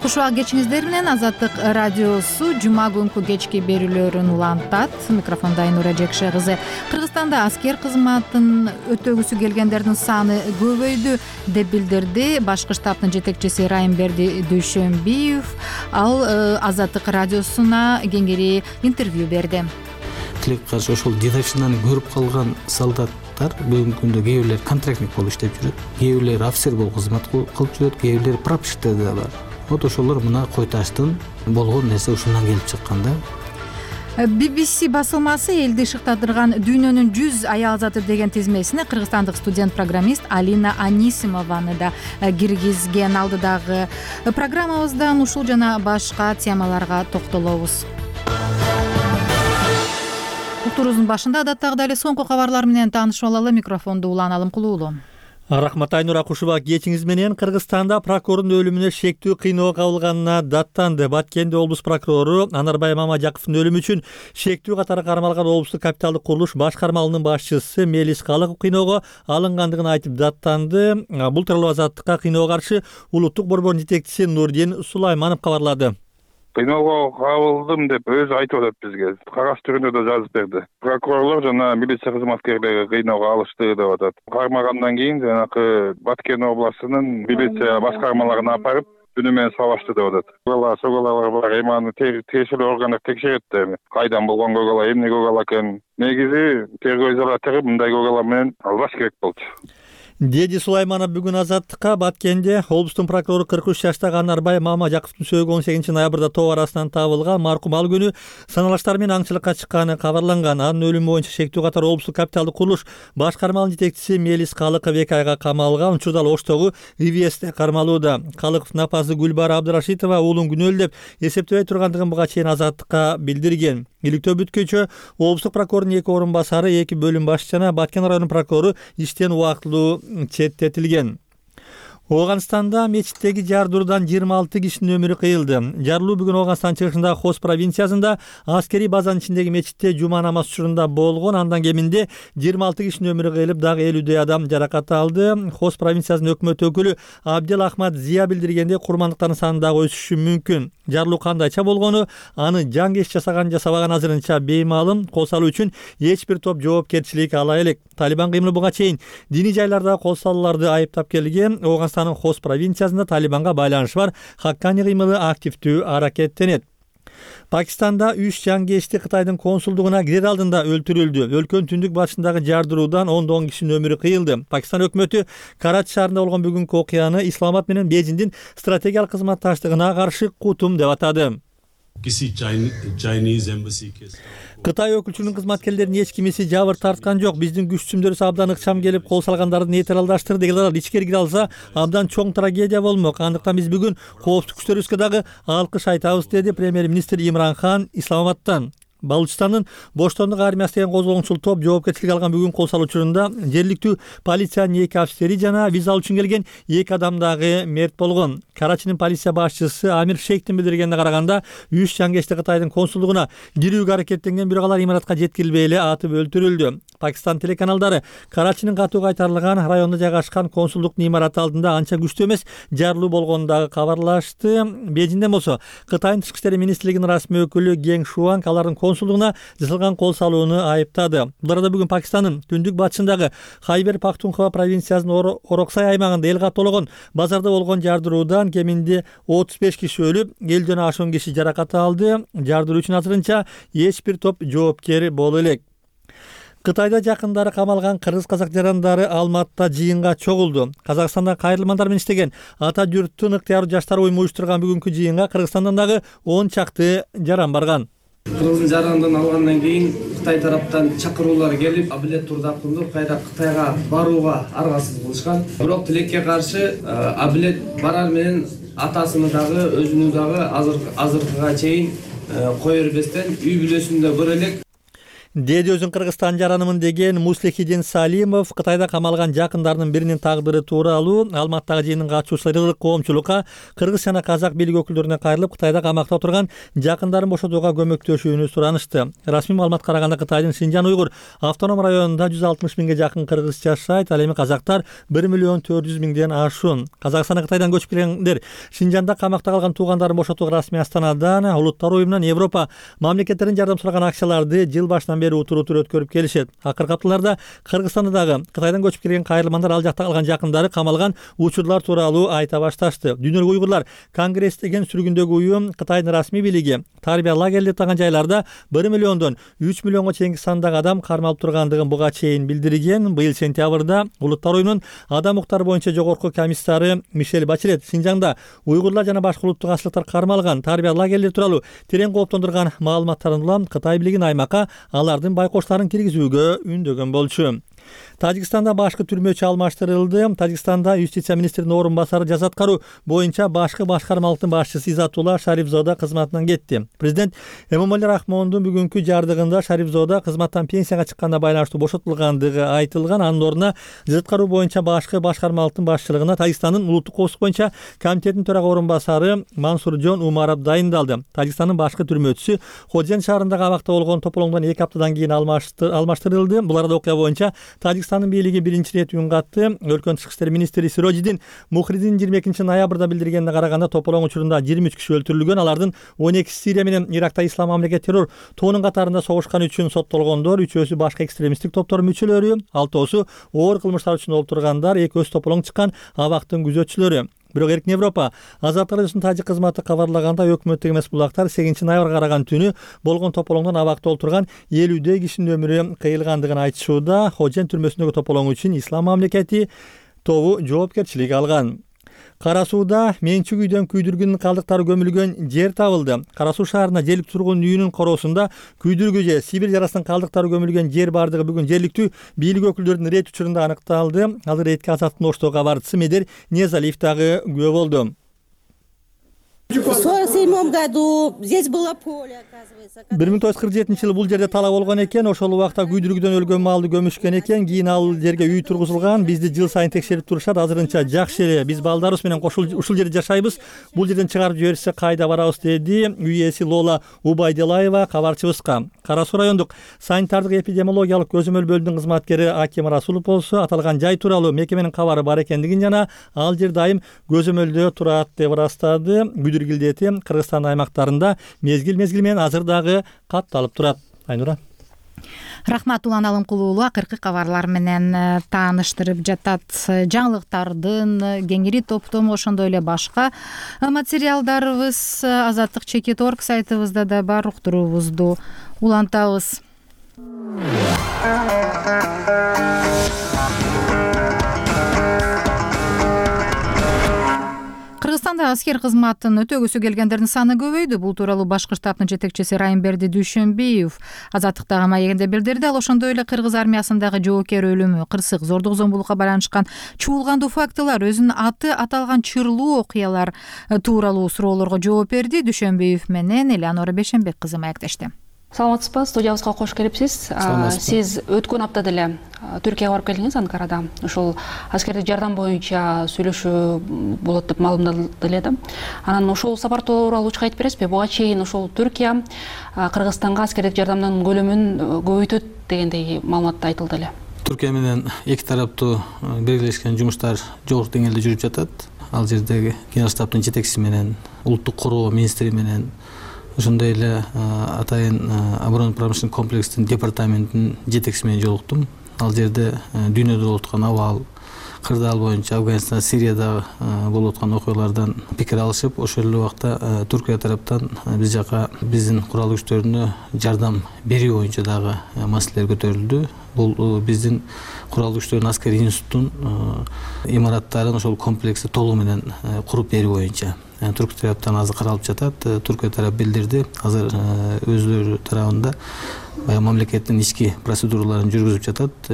Кушубак кечиңиздер менен Азаттык радиосу жума күнкү кечки берүүлөрүн улантат. Микрофондо Айнура Жекше кызы. Кыргызстанда аскер кызматын өтөгүсү келгендердин саны көбөйдү деп билдирди башкы штабтын жетекчиси Райымберди Дүйшөнбиев. Ал Азаттык радиосуна кеңири интервью берди. Тилекке каршы ошол дедовщинаны көрүп калган солдаттар бүгүнкү күндө кээ бирлери контрактник болуп иштеп жүрөт, кээ бирлери офицер болуп кызмат кылып жүрөт, кээ бирлери прапорщиктер да бар. Вот ошолор мына Кой Таштын болгон нерсе ушундан келип чыккан да. BBC басылмасы элди шыктатырган дүйнөнүн 100 аялзаты деген тизмесине кыргызстандык студент-программист Алина Анисимованы да киргизген. Алдыдагы программабыздан ушул жана башка темаларга токтолобуз. Уктуруубуздун башында адаттагыдай эле соңку кабарлар менен таанышып алалы. Микрофонду Улан Алымкулуулу. Рахмат Айнура, Кушубак кечиңиз менен. Кыргызстанда прокурордун өлүмүнө шектүү кыйноо кабылганына даттанды. Баткенде облус прокурору Анарбай Мамажаковдун өлүмү үчүн шектүү катары кармалган облустук капиталдык курулуш башкармалыгынын башчысы Мелис Калыков кыйноого алынгандыгын айтып даттанды. Бул тууралуу Азаттыкка кыйноого каршы улуттук борбордун жетекчиси Нурдин Сулайманов кабарлады. Кыйноого кабылдым деп өзү айтып атат бизге. Кагаз түрүндө да жазып берди. Прокурорлор жана милиция кызматкерлери кыйноого алышты деп атат. Кармагандан кийин жанакы Баткен областынын милиция башкармаларына апарып түнү менен сабашты деп атат. Көгалар бар, эми аны тиешелүү органдар текшерет да эми. Кайдан болгон көгала, эмне көгала экен. Негизи тергөө изолятору мындай көгала менен албаш керек болчу. Деди Сулайманов бүгүн Азаттыкка Баткенде облустун прокурору 43 жаштагы Анарбай Мамажаковдун сөөгү 18 ноябрда тоо арасынан табылган. Маркум ал күнү саналаштар менен аңчылыкка чыкканы кабарланган. Анын өлүмү боюнча шектүү катары облустук капиталдык курулуш башкармалыгынын жетекчиси Мелис Калыков 2 айга камалган. Учурда Оштогу ИВСте кармалууда. Калыковдун апасы Гүлбара Абдырашитова уулун күнөөлүү деп эсептебей тургандыгын буга чейин Азаттыкка билдирген. Иликтөө бүткөчө облустук прокурордун 2 орун басары, 2 бөлүм башчысы жана Баткен районунун прокурору иштен убактылуу четтетилген. Ооганстанда мечиттеги жардыруудан 26 кишинин өмүрү кыйылды. Жарылуу бүгүн Ооганстан чыгышындагы Хос провинциясында аскерий базанын ичиндеги мечитте жума намаз учурунда болгон. Андан кеминде 26 кишинин өмүрү кыйылып, дагы 50дөй адам жаракат алды. Хос провинциясынын өкмөт өкүлү Абдел Ахмад Зия билдиргенде курмандыктардын саны дагы өсүшү мүмкүн. Жарылуу кандайча болгону, аны жаңгеш жасаган жасабаган азырынча беймаалым. Кол салуу үчүн эч бир топ жоопкерчилик ала элек. Талибан кыймылы буга чейин диний жайлардагы кол салууларды айыптап келген. Ооганстандын Хос провинциясында Талибанга байланышы бар Хаккани кыймылы активдүү аракеттенет. Пакистанда 3 жаңгешти Кытайдын консулдугуна кирер алдында өлтүрүлдү. Өлкөнүн түндүк батышындагы жардыруудан 10 кишинин өмүрү кыйылды. Пакистан өкмөтү Карачи шаарында болгон бүгүнкү окуяны Исламабад менен Бейжиңдин стратегиялык кызматташтыгына каршы кутум деп атады. Кытай өкүлчүлүгүнүн кызматкерлеринин эч кимиси жабыр тарткан жок. Биздин күч түзүмдөрүбүз абдан ыкчам келип, кол салгандарды нейтралдаштырды деген алар ичкери кире алса, абдан чоң трагедия болмок. Андыктан биз бүгүн коопсуздук күчтөрүбүзгө дагы алкыш айтабыз, деди премьер-министр Имран Хан Исламабадтан. Балучистандын Боштондук армиясы деген козголоңчул топ жоопкерчилик алган бүгүн кол салуу учурунда жергиликтүү полициянын 2 офицери жана виза алуу үчүн келген 2 адам дагы мерт болгон. Карачинин полиция башчысы Амир Шейхтин билдиргенине караганда 3 жаңгешти Кытайдын консулдугуна кирүүгө аракеттенген, бирок алар имаратка жеткирилбей эле атып өлтүрүлдү. Пакистан телеканалдары Карачинин катуу кайтарылган районунда жайгашкан консулдуктун имараты алдында анча күчтүү эмес жарылуу болгонун дагы кабарлашты. Бейжиңден болсо Кытайдын тышкы иштер министрлигинин расмий өкүлү Гeng Шуанг алардын консулдугуна жасалган кол салууну айыптады. Бул арада бүгүн Пакистандын түндүк батышындагы Хайбер Пахтунхва провинциясынын Ороксай аймагында эл каттоологон базарда болгон жардыруудан кеминде 35 киши өлүп, 50ден ашуун киши жаракат алды. Жардыруу үчүн азырынча эч бир топ жоопкер боло элек. Кытайда жакындары камалган кыргыз-казак жарандары Алматта жыйынга чогулду. Казакстанда кайрылмандар менен иштеген ата журттун ыктыяруу жаштар уюму уюштурган бүгүнкү жыйынга Кыргызстандан дагы 10 чакты жаран барган. Кыргыздын жарандын алгандан кийин Кытай тараптан чакыруулар келип, Абилет Турдакулду Кытайга барууга аргасыз кылышкан. Бирок тилекке каршы Абилет барар менен атасыны дагы, өзүнү дагы азыркыга чейин кое бербестен үй бүлөсүндө көрө элек. Деди өзүн Кыргызстан жаранымын деген Муслихидин Салимов Кытайда камалган жакындарынын биринин тагдыры тууралуу Алматтагы жыйынын катышуучулары коомчулукка кыргыз жана казак бийлик өкүлдөрүнө кайрылып, Кытайда камакта отурган жакындарын бошотууга көмөктөшүүнү суранышты. Расмий маалыматка караганда Кытайдын Синжан Уйгур автоном районунда 160 миңге жакын кыргыз жашайт, ал эми казактар 1.400.000ден ашуун. Казакстандан Кытайдан көчүп келгендер Синжанда камакта калган туугандарын бошотууга расмий Астанадан, Улуттар уюмунан, Европа мамлекеттеринин жардам сураган акчаларды жыл башынан бери утур-утур өткөрүп келишет. Акыркы апталарда Кыргызстанда дагы Кытайдан көчүп келген кайрылмандар ал жакта калган жакындары камалган учурлар тууралуу айта башташты. Дүйнөлүк уйгурлар конгресс деген сүргүндөгү уюм Кытайдын расмий бийлиги тарбия лагерь деп атаган жайларда 1 миллиондон 3 миллионго чейинки сандагы адам кармалып тургандыгын буга чейин билдирген. Быйыл сентябрда Улуттар уюмунун адам укуктары боюнча жогорку комиссары Мишель Бачелет Синжаңда уйгурлар жана башка улуттук ачлыктар кармалган тарбия лагерлери тууралуу терең кооптондурган маалыматтарын улам Кытай бийлигинин аймакка алардын байкоштарын киргизүүгө үндөгөн болчу. Тажикстанда башкы түрмөчү алмаштырылды. Тажикстанда юстиция министринин орун басары жаза аткаруу боюнча башкы башкармалыктын башчысы Изатулла Шарифзода кызматынан кетти. Президент Эмомали Рахмондун бүгүнкү жардыгында Шарифзода кызматтан пенсияга чыкканына байланыштуу бошотулгандыгы айтылган. Анын ордуна жаза аткаруу боюнча башкы башкармалыктын башчылыгына Тажикстандын улуттук коопсуздук боюнча комитетинин төрага орун басары Мансуржон Умаров дайындалды. Тажикстандын башкы түрмөчүсү Ходжен шаарындагы абакта болгон тополоңдон 2 аптадан кийин алмаштырылды. Бул арада окуя боюнча Тажикстандын бийлиги биринчи ирет үн катты. Өлкөнүн тышкы иштер министри Сирожидин Мухридин 22 ноябрда билдиргенине караганда тополоң учурунда 23 киши өлтүрүлгөн. Алардын 12 Сирия менен Иракта ислам мамлекет террор тоонун катарында согушкан үчүн соттолгондор, 3-өсү башка экстремисттик топтордун мүчөлөрү, 6-оосу оор кылмыштар үчүн олтургандар, 2-өсү тополоң чыккан абактын күзөтчүлөрү. Бирок Эркин Европа Азаттык радиосунун тажик кызматы кабарлаганда өкмөттүк эмес булактар 8 ноябрга караган түнү болгон тополоңдон абакта олтурган 50 кишинин өмүрү кыйылгандыгын айтышууда. Ходжен түрмөсүндөгү тополоң үчүн ислам мамлекети тобу жоопкерчилик алган. Кара Сууда менчик үйдөн күйдүргүнүн калдыктары көмүлгөн жер табылды. Кара Суу шаарына жергиликтүү тургун үйүнүн короосунда күйдүргү же Сибирь жарасынын калдыктары көмүлгөн жер бардыгы бүгүн жергиликтүү бийлик өкүлдөрүнүн рейд учурунда аныкталды. Ал рейдке Азаттыктын Оштогу кабарчысы Медер Незалиев дагы күбө болду. В 1947 году здесь было поле, оказывается. 1947 бул жерде тала болгон экен. Ошол убакта күйдүргүдөн өлгөн малды көмүшкөн экен. Кийин ал жерге үй тургузулган. Бизди жыл сайын текшерип турушат. Азырынча жакшы эле. Биз балдарыбыз менен ушул жерде жашайбыз. Бул жерден чыгарып жиберсе кайда барабыз, деди үй ээси Лола Убайдилаева кабарчыбызга. Кара Суу райондук санитардык эпидемиологиялык көзөмөл бөлүмүнүн кызматкери Аким Расулов болсо аталган жай тууралуу мекеменин кабары бар экендигин жана ал жер дайым көзөмөлдө турат деп ырастады. Гилдети Кыргызстан аймактарында мезгил менен азыр дагы катталып турат. Айнура. Рахмат, Улан Алымкулуулу акыркы кабарлар менен тааныштырып жатат. Жаңылыктардын кеңири топтому ошондой эле башка материалдарыбыз Азаттык.org сайтыбызда да бар. Уктуруубузду улантабыз. Кыргызстанда аскер кызматын өтөгүсү келгендердин саны көбөйдү. Бул тууралуу Башкы штабтын жетекчиси Райымберди Дүйшөнбиев Азаттыктагы маегинде билдирди. Ал ошондой эле кыргыз армиясындагы жоокер өлүмү, кырсык, зордук зомбулукка байланышкан чуулгандуу фактылар, өзүнүн аты аталган чырлуу окуялар тууралуу суроолорго жооп берди. Дүйшөнбиев менен Элеонора Бешенбек кызы маектешти. Саламатсызбы, студиябызга кош келипсиз. Сиз өткөн апта деле Түркияга барып келдиңиз, Анкарада. Ошол аскердик жардам боюнча сөйлөшүү болот деп маалымдалды эле. Анан ошол сапар тууралуу айтып бересизби? Буга чейин ошол Түркия Кыргызстанга аскердик жардамдын көлөмүн көбөйтөт дегендей маалымат айтылды эле. Түркия менен эки тараптуу биргелешкен жумуштар жогорку деңгээлде жүрүп жатат. Ал жердеги генерал штабтын жетекчиси менен, улуттук коргоо министри менен ошондой эле атайын оборонно промышленный комплекстин департаментинин жетекчиси менен жолуктум. Ал жерде дүйнөдө болуп аткан абал, кырдаал боюнча Афганистан, Сириядагы болуп аткан окуялардан пикир алышып, ошол эле убакта Түркия тараптан биз жака биздин курал күчтөрүнө жардам берүү боюнча дагы маселелер көтөрүлдү. Бул биздин курал күчтөрүнүн аскерий институттун имараттарын ошол комплексти толугу менен куруп берүү боюнча Түркия тараптан азыр каралып жатат. Түркия тарап билдирди, азыр өзлөрү тарабында баягы мамлекеттин ички процедураларын жүргүзүп жатат.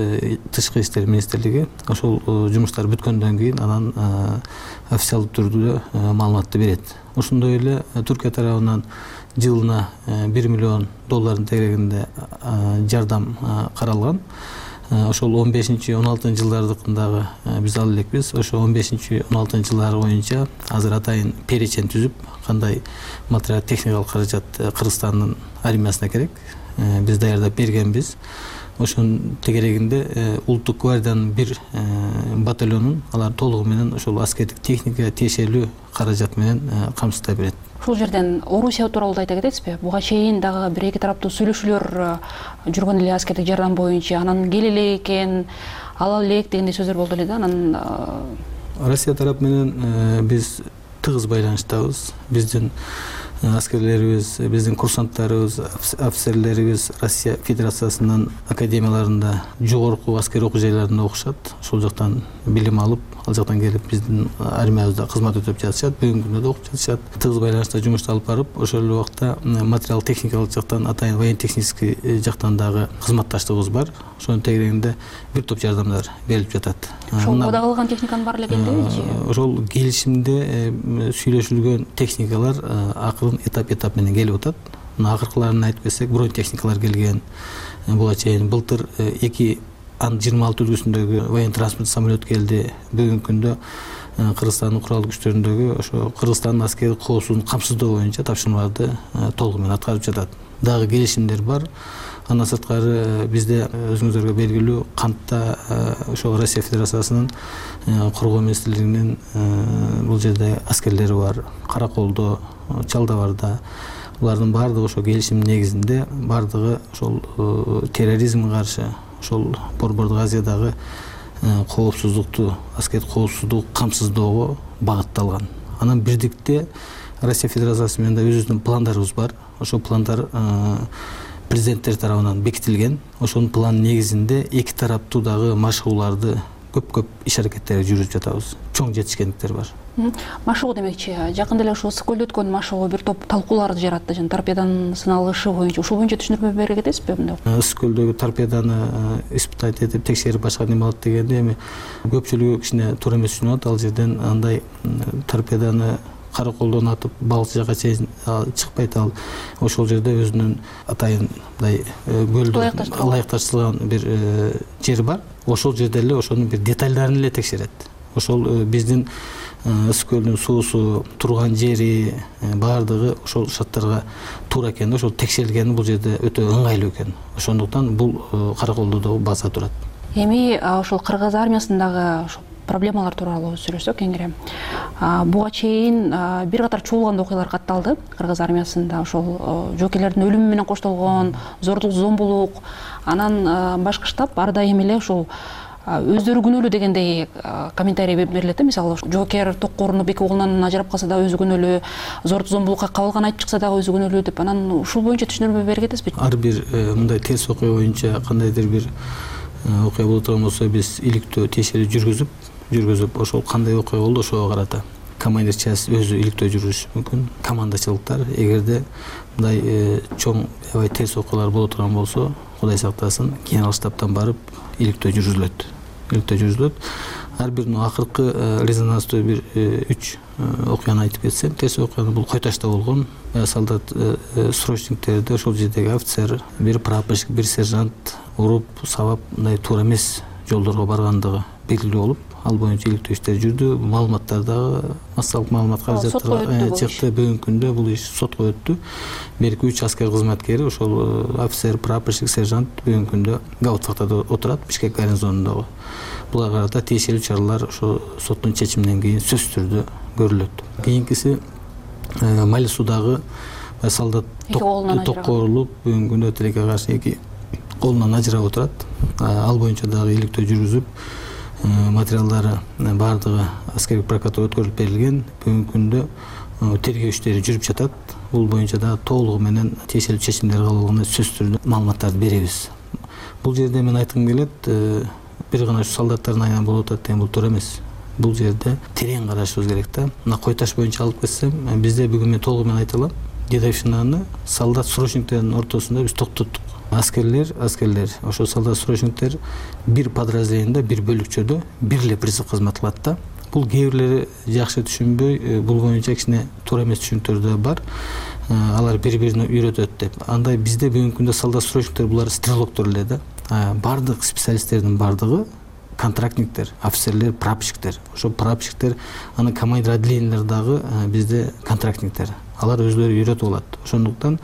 Тышкы иштер министрлиги ошол жумуштар бүткөндөн кийин анан официалдуу түрдө маалыматты берет. Ошондой эле Түркия тарабынан жылына $1 миллион тегерегинде жардам каралган. Ошол 15-16 жылдардыкындагы биз ал элекпиз. Ошо 15-16 жылдар боюнча азыр атайын перечень түзүп, кандай материал техникалык каражат Кыргызстандын армиясына керек, биз даярдап бергенбиз. Ошонун тегерегинде улуттук гвардиянын бир батальонун алар толугу менен ошол аскердик техника тиешелүү каражат менен камсыздай берет. Ушул жерден Орусия тууралуу да айта кетесизби? Буга чейин дагы бир эки тараптуу сүйлөшүүлөр жүргөн эле аскердик жардам боюнча, анан келе экен, ала элек дегендей сөздөр болду эле да. Анан Россия тарап менен биз тыгыз байланыштабыз. Биздин аскерлерибиз, биздин курсанттарыбыз, офицерлерибиз Россия Федерациясынын академияларында, жогорку аскерий окуу жайларында окушат. Ошол жактан билим алып, ал жактан келип биздин армиябызда кызмат өтөп жатышат, бүгүнкү күндө да окуп жатышат. Тыгыз байланышта жумушту алып барып, ошол эле убакта материал техникалык жактан, атайын военно технический жактан дагы кызматташтыгыбыз бар. Ошонун тегерегинде бир топ жардамдар берилип жатат. Ошол мода кылган техниканын баары эле келдибичи? Ошол келишимде сүйлөшүлгөн техникалар акырын этап менен келип атат. Акыркыларын айтып кетсек, бронь техникалар келген. Буга чейин былтыр 2 Ан-26 үлгүсүндөгү военно транспорт самолет келди. Бүгүнкү күндө Кыргызстандын курал күчтөрүндөгү ошо Кыргызстандын аскердик коопсуздугун камсыздоо боюнча тапшырмаларды толугу менен аткарып жатат. Дагы келишимдер бар. Андан сырткары бизде өзүңүздарга белгилүү кантта ошол Россия Федерациясынын коргоо министрлигинин бул жерде аскерлери бар. Караколдо, Чалдабарда. Булардын баардыгы ошо келишим негизинде, баардыгы ошол терроризмге каршы, ошол Борбордук Азиядагы коопсуздукту, аскердик коопсуздугу камсыздоого багытталган. Анан бирдикте Россия Федерациясы менен да өзүбүздүн пландарыбыз бар. Ошол пландар президенттер тарабынан бекитилген. Ошонун план негизинде эки тараптуу дагы машыгууларды көп иш аракеттерди жүргүзүп жатабыз. Чоң жетишкендиктер бар. Машыгуу демекчи, жакында эле ушул Ысык-Көлдө өткөн машыгуу бир топ талкууларды жаратты, жана торпеданын сыналышы боюнча. Ушул боюнча түшүндүрмө бере кетесизби мындай? Ысык-Көлдөгү торпеданы испытать этип текшерип башка неме алат дегенде эми көпчүлүгү кичине туура эмес түшүнүп атат. Ал жерден андай торпеданы Караколдон атып балыкчы жака чейин чыкпайт. Ал ошол жерде өзүнүн атайын мындай көлдө ылайыкташтырылган бир жери бар. Ошол жерде эле ошонун бир детальдарын эле текшерет. Ошол биздин Ысык-Көлдүн суусу, турган жери баардыгы ошол шарттарга туура экен, ошол текшерилгени бул жерде өтө ыңгайлуу экен. Ошондуктан бул Караколдо да база турат. Эми ошол кыргыз армиясындагы проблемалар тууралуу сүйлөшсөк кеңири. Буга чейин бир катар чуулган окуялар катталды кыргыз армиясында. Ошол жоокерлердин өлүмү менен коштолгон зордук, зомбулук, анан башкы штаб ар дайым эле ушул өздөрү күнөөлүү дегендей комментарий берилет. Мисалы жоокер токко урунуп эки колунан ажырап калса дагы өзү күнөөлүү, зордук, зомбулукка кабылган айтып чыкса дагы өзү күнөөлүү деп. Анан ушул боюнча түшүндүрмө бере кетесизби? Ар бир мындай терс окуя боюнча кандайдыр бир окуя боло турган болсо биз иликтөө тиешелүү жүргүзүп ошол кандай окуя болду ошого карата командир часть өзү иликтөө жүргүзүшү мүмкүн. Командачылыктар эгерде мындай чоң аябай терс окуялар боло турган болсо, Кудай сактасын, генерал штабтан барып иликтөө жүргүзүлөт. Ар бир акыркы резонанстуу бир 3 окуяны айтып кетсем, терс окуяны бул Койташта болгон. Солдат срочниктерди ошол жердеги офицер, бир прапорщик, бир сержант уруп, сабап, мындай туура эмес жолдорго баргандыгы белгилүү болуп, ал боюнча иликтөө иштери жүрдү. Маалыматтар дагы массалык маалымат каражаттарга чыкты. Бүгүнкү күндө бул иш сотко өттү. Берки 3 аскер кызматкери, ошол офицер, прапорщик, сержант бүгүнкү күндө Гауптвахтада отурат, Бишкек гарнизонундагы. Буларга карата тиешелүү чаралар ошо соттун чечиминен кийин сөзсүз түрдө көрүлөт. Кийинкиси Мали судагы солдат токкорулуп бүгүнкү күндө тилекке каршы эки колунан ажырап отурат. Ал боюнча дагы иликтөө жүргүзүп, материалдары баардыгы аскердик прокуратурага өткөрүлүп берилген. Бүгүнкү күндө тергөө иштери жүрүп жатат. Бул боюнча дагы толугу менен тиешелүү чечимдер кабыл алганда сөзсүз түрдө маалыматтарды беребиз. Бул жерде мен айткым келет, бир гана ушу солдаттардын айынан болуп атат деген бул туура эмес. Бул жерде терең карашыбыз керек да. Мына Кой Таш боюнча алып кетсем, бизде бүгүн мен толугу менен айта алам, дедовщинаны солдат срочниктердин ортосунда биз токтоттук. Аскерлер, ошо солдат срочниктер бир подразделениеде, бир бөлүкчөдө бир эле призыв кызмат кылат да. Бул кээ бирлери жакшы түшүнбөй, бул боюнча кичине туура эмес түшүнүктөр да бар. Алар бири-бирине үйрөтөт деп. Андай бизде бүгүнкү күндө солдат срочниктер булар стрелоктор эле да. Бардык специалисттердин бардыгы контрактниктер, офицерлер, прапорщиктер. Ошо прапорщиктер, анын командир отделениялар дагы бизде контрактниктер. Алар өзлөрү үйрөтүп алат. Ошондуктан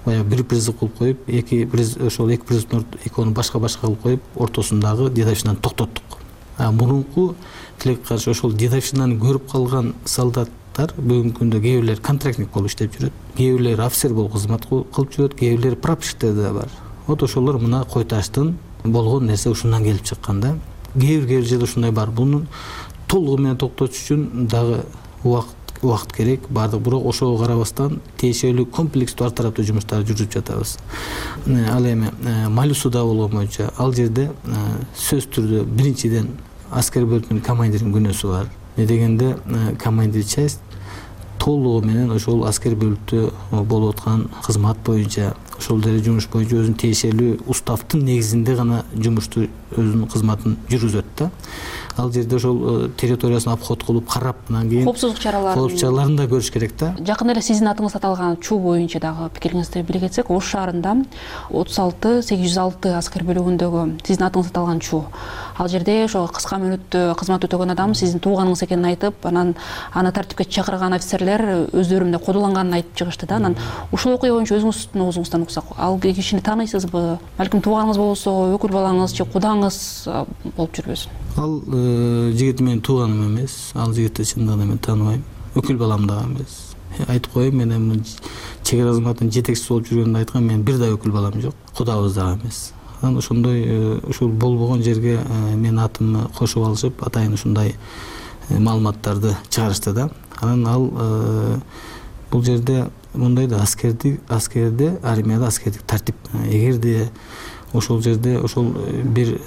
баягы бир призыв кылып коюп, эки призывдун экөөнү башка кылып коюп, ортосундагы дедовщинаны токтоттук. Мурунку тилекке каршы ошол дедовщинаны көрүп калган солдаттар бүгүнкү күндө кээ бирлери контрактник болуп иштеп жүрөт, кээ бирлери офицер болуп кызмат кылып жүрөт, кээ бирлери прапорщиктер да бар. Вот ошолор мына Кой Таштын болгон нерсе ушундан келип чыккан да. Кээ бир жерде ушундай бар. Бунун толугу менен токтотуш үчүн дагы убакыт керек, бардык. Бирок ошого карабастан тиешелүү комплекстүү ар тараптуу жумуштарды жүргүзүп жатабыз. Ал эми Малюсуда болгон боюнча ал жерде сөзсүз түрдө биринчиден аскер бөлүмүнүн командиринин күнөөсү бар. Не дегенде командир часть толугу менен ошол аскер бөлүктө болуп аткан кызмат боюнча, ошол деле жумуш боюнча өзүнүн тиешелүү уставдын негизинде гана жумушту өзүнүн кызматын жүргүзөт да. Ал жерде ошол территориясын обход кылып карап, анан кийин коопсуздук чараларын да көрүш керек да. Жакында эле сиздин атыңызга аталган чуу боюнча дагы пикириңизди биле кетсек, Ош шаарында 36-806 аскер бөлүгүндөгү сиздин атыңызга аталган чуу. Ал жерде ошо кыска мөөнөттө кызмат өтөгөн адам сиздин тууганыңыз экенин айтып, анан аны тартипке чакырган офицерлер өздөрү мындай кодуланганын айтып чыгышты да. Анан ушул окуя боюнча өзүңүздүн оозуңуздан уксак, ал кишини тааныйсызбы? Балким тууганыңыз болбосо, өкүл балаңыз же кудаңыз болуп жүрбөсүн? Ал жигит менин тууганым эмес. Ал жигитти чындыгында мен тааныбайм. Өкүл балам дагы эмес. Айтып коеюн, мен эми чек ара кызматынын жетекчиси болуп жүргөндө айткам, мен бир да өкүл балам жок. Кудабыз дагы эмес. Анан ошондой ушул болбогон жерге менин атымды кошуп алышып, атайын ушундай маалыматтарды чыгарышты да. Анан ал бул жерде мындай да, аскерде, армияда аскердик тартип. Эгерде ошол жерде ошол бир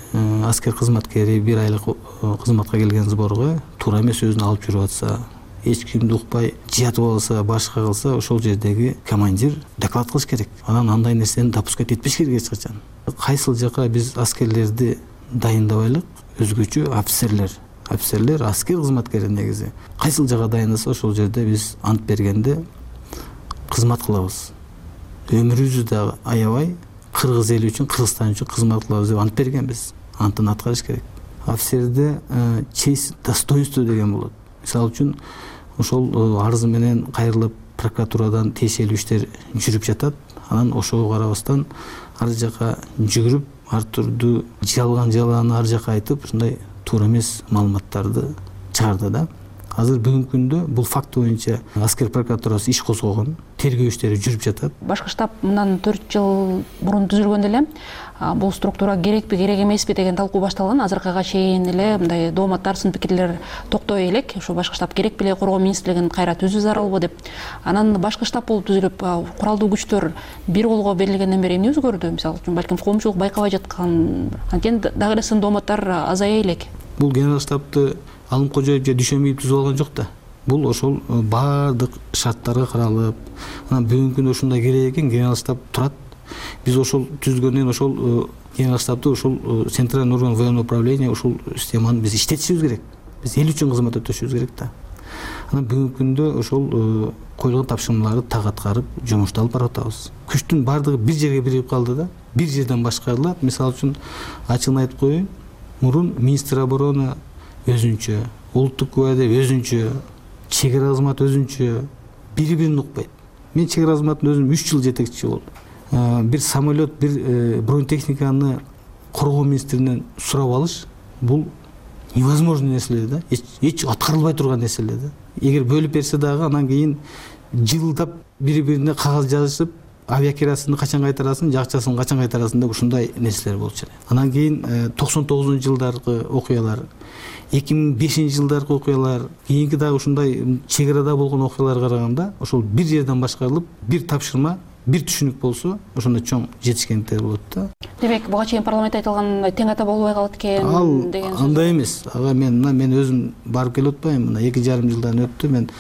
аскер кызматкери бир айлык кызматка келген сборго туура эмес өзүн алып жүрүп атса, эч кимди укпай жатып алса, башка кылса, ошол жердеги командир доклад кылыш керек. Анан андай нерсени допускать этпеш керек эч качан. Кайсыл жака биз аскерлерди дайындабайлык, өзгөчө офицерлер аскер кызматкери негизи. Кайсыл жака дайындаса, ошол жерде биз ант бергенде кызмат кылабыз. Өмүрүбүздү дагы аябай кыргыз эли үчүн, Кыргызстан үчүн кызмат кылабыз деп ант бергенбиз. Антын аткарыш керек. Офицерде честь, достоинство деген болот. Мисалы үчүн ошол арыз менен кайрылып прокуратурадан тиешелүү иштер жүрүп жатат. Анан ошого карабастан ар жака жүгүрүп, ар түрдүү жалган ар жака айтып, ушундай туура эмес маалыматтарды чыгарды да. Азыр бүгүнкү күндө бул факт боюнча аскер прокуратурасы иш козгогон, тергөө иштери жүрүп жатат. Башкы штаб мындан 4 жыл мурун түзүлгөндө эле бул структура керекпи, керек эмеспи деген талкуу башталган. Азыркыга чейин эле мындай дооматтар, сын пикирлер токтой элек. Ошо башкы штаб керек беле, коргоо министрлигин кайра түзүү зарылбы деп. Анан башкы штаб болуп түзүлүп, куралдуу күчтөр бир колго берилгенден бери эмне өзгөрдү? Мисалы үчүн балким коомчулук байкабай жаткан, анткени дагы эле сын дооматтар азая элек. Бул генерал штабты Алым Кожоев же Дүйшөнбиев түзүп алган жок да. Бул ошол баардык шарттарга каралып, анан бүгүнкү күндө ушундай керек экен, генерал штаб турат. Биз ошол түзгөндөн ошол генерал штабты ошол центральный орган военного управления ушул системаны биз иштетишибиз керек. Биз эл үчүн кызмат өтөшүбүз керек да. Анан бүгүнкү күндө ошол коюлган тапшырмаларды так аткарып, жумушту алып барып атабыз. Күчтүн баардыгы бир жерге биригип калды да. Бир жерден башкарылат. Мисалы үчүн ачыгын айтып коеюн, мурун министр обороны өзүнчө, улуттук гвардия өзүнчө, чек ара кызмат өзүнчө, бири-бирин укпайт. Мен чек ара кызматында өзүм 3 жыл жетекчи болдум. Бир самолет, бир бронетехниканы коргоо министринен сурап алыш, бул невозможный нерселер да, эч аткарылбай турган нерселер да. Эгер бөлүп берсе дагы, анан кийин жылдап бири бирине кагаз жазышып авиакирасını качан кайтарасың, жакчасын качан кайтарасың деп ушундай нерселер болчу. Анан кийин 99-жылдаркы окуялар, 2005-жылдаркы окуялар, кийинки дагы ушундай чек арада болгон окуяларга караганда ошол бир жерден башкарылып, бир тапшырма, бир түшүнүк болсо, ошондо чоң жетишкендиктер болот да. Демек, буга чейин парламентте айтылган тең ата болбой калат экен деген сөз. Андай эмес. Ага мен өзүм барып келип атпайм. Мына 2,5 жылдан өттү. Мен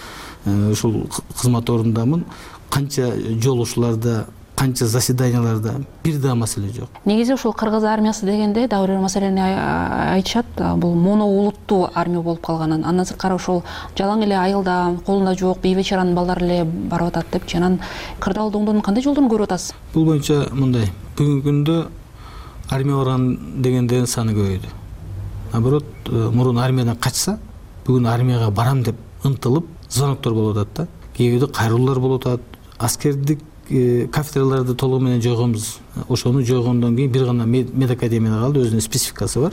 ушул кызмат ордундамын. Канча жолугушууларда, канча заседанияларда бир да маселе жок. Негизи ушул кыргыз армиясы дегенде дагы бир маселени айтышат. Бул моноулуттуу армия болуп калганын. Андан сырткары ушул жалаң эле айылда, колунда жок бейбечаранын балдары эле барып атат депчи. Анан кырдаал доңдордун кандай жолдорун көрүп атасыз? Бул боюнча мындай. Бүгүнкү күндө армия барган дегендердин саны көбөйдү. Наоборот, мурун армиядан качса, бүгүн армияга барам деп ынтылып, звоноктор болуп атат да. Кээ бирде кайрылуулар болуп атат. Аскердик кафедраларды толугу менен жойгонбуз. Ошону жойгондон кийин бир гана медакадемияда калды, өзүнүн спецификасы бар.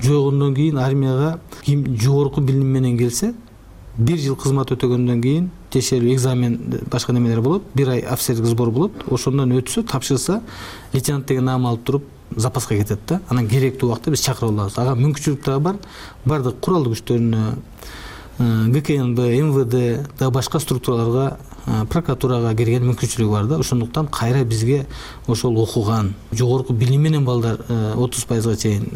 Жойгондон кийин армияга ким жогорку билим менен келсе, 1 жыл кызмат өтөгөндөн кийин текшерүү, экзамен, башка немелер болот. 1 ай офицерлик сбор болот. Ошондон өтсө, тапшырса, лейтенант деген наам алып туруп запаска кетет да. Анан керектүү убакта биз чакырып алабыз. Ага мүмкүнчүлүк дагы бар. Бардык куралдык күчтөрүнө, ГКНБ, МВД да башка структураларга, прокуратурага кирген мүмкүнчүлүгү бар да. Ошондуктан кайра бизге ошол окуган, жогорку билим менен балдар 30%га чейин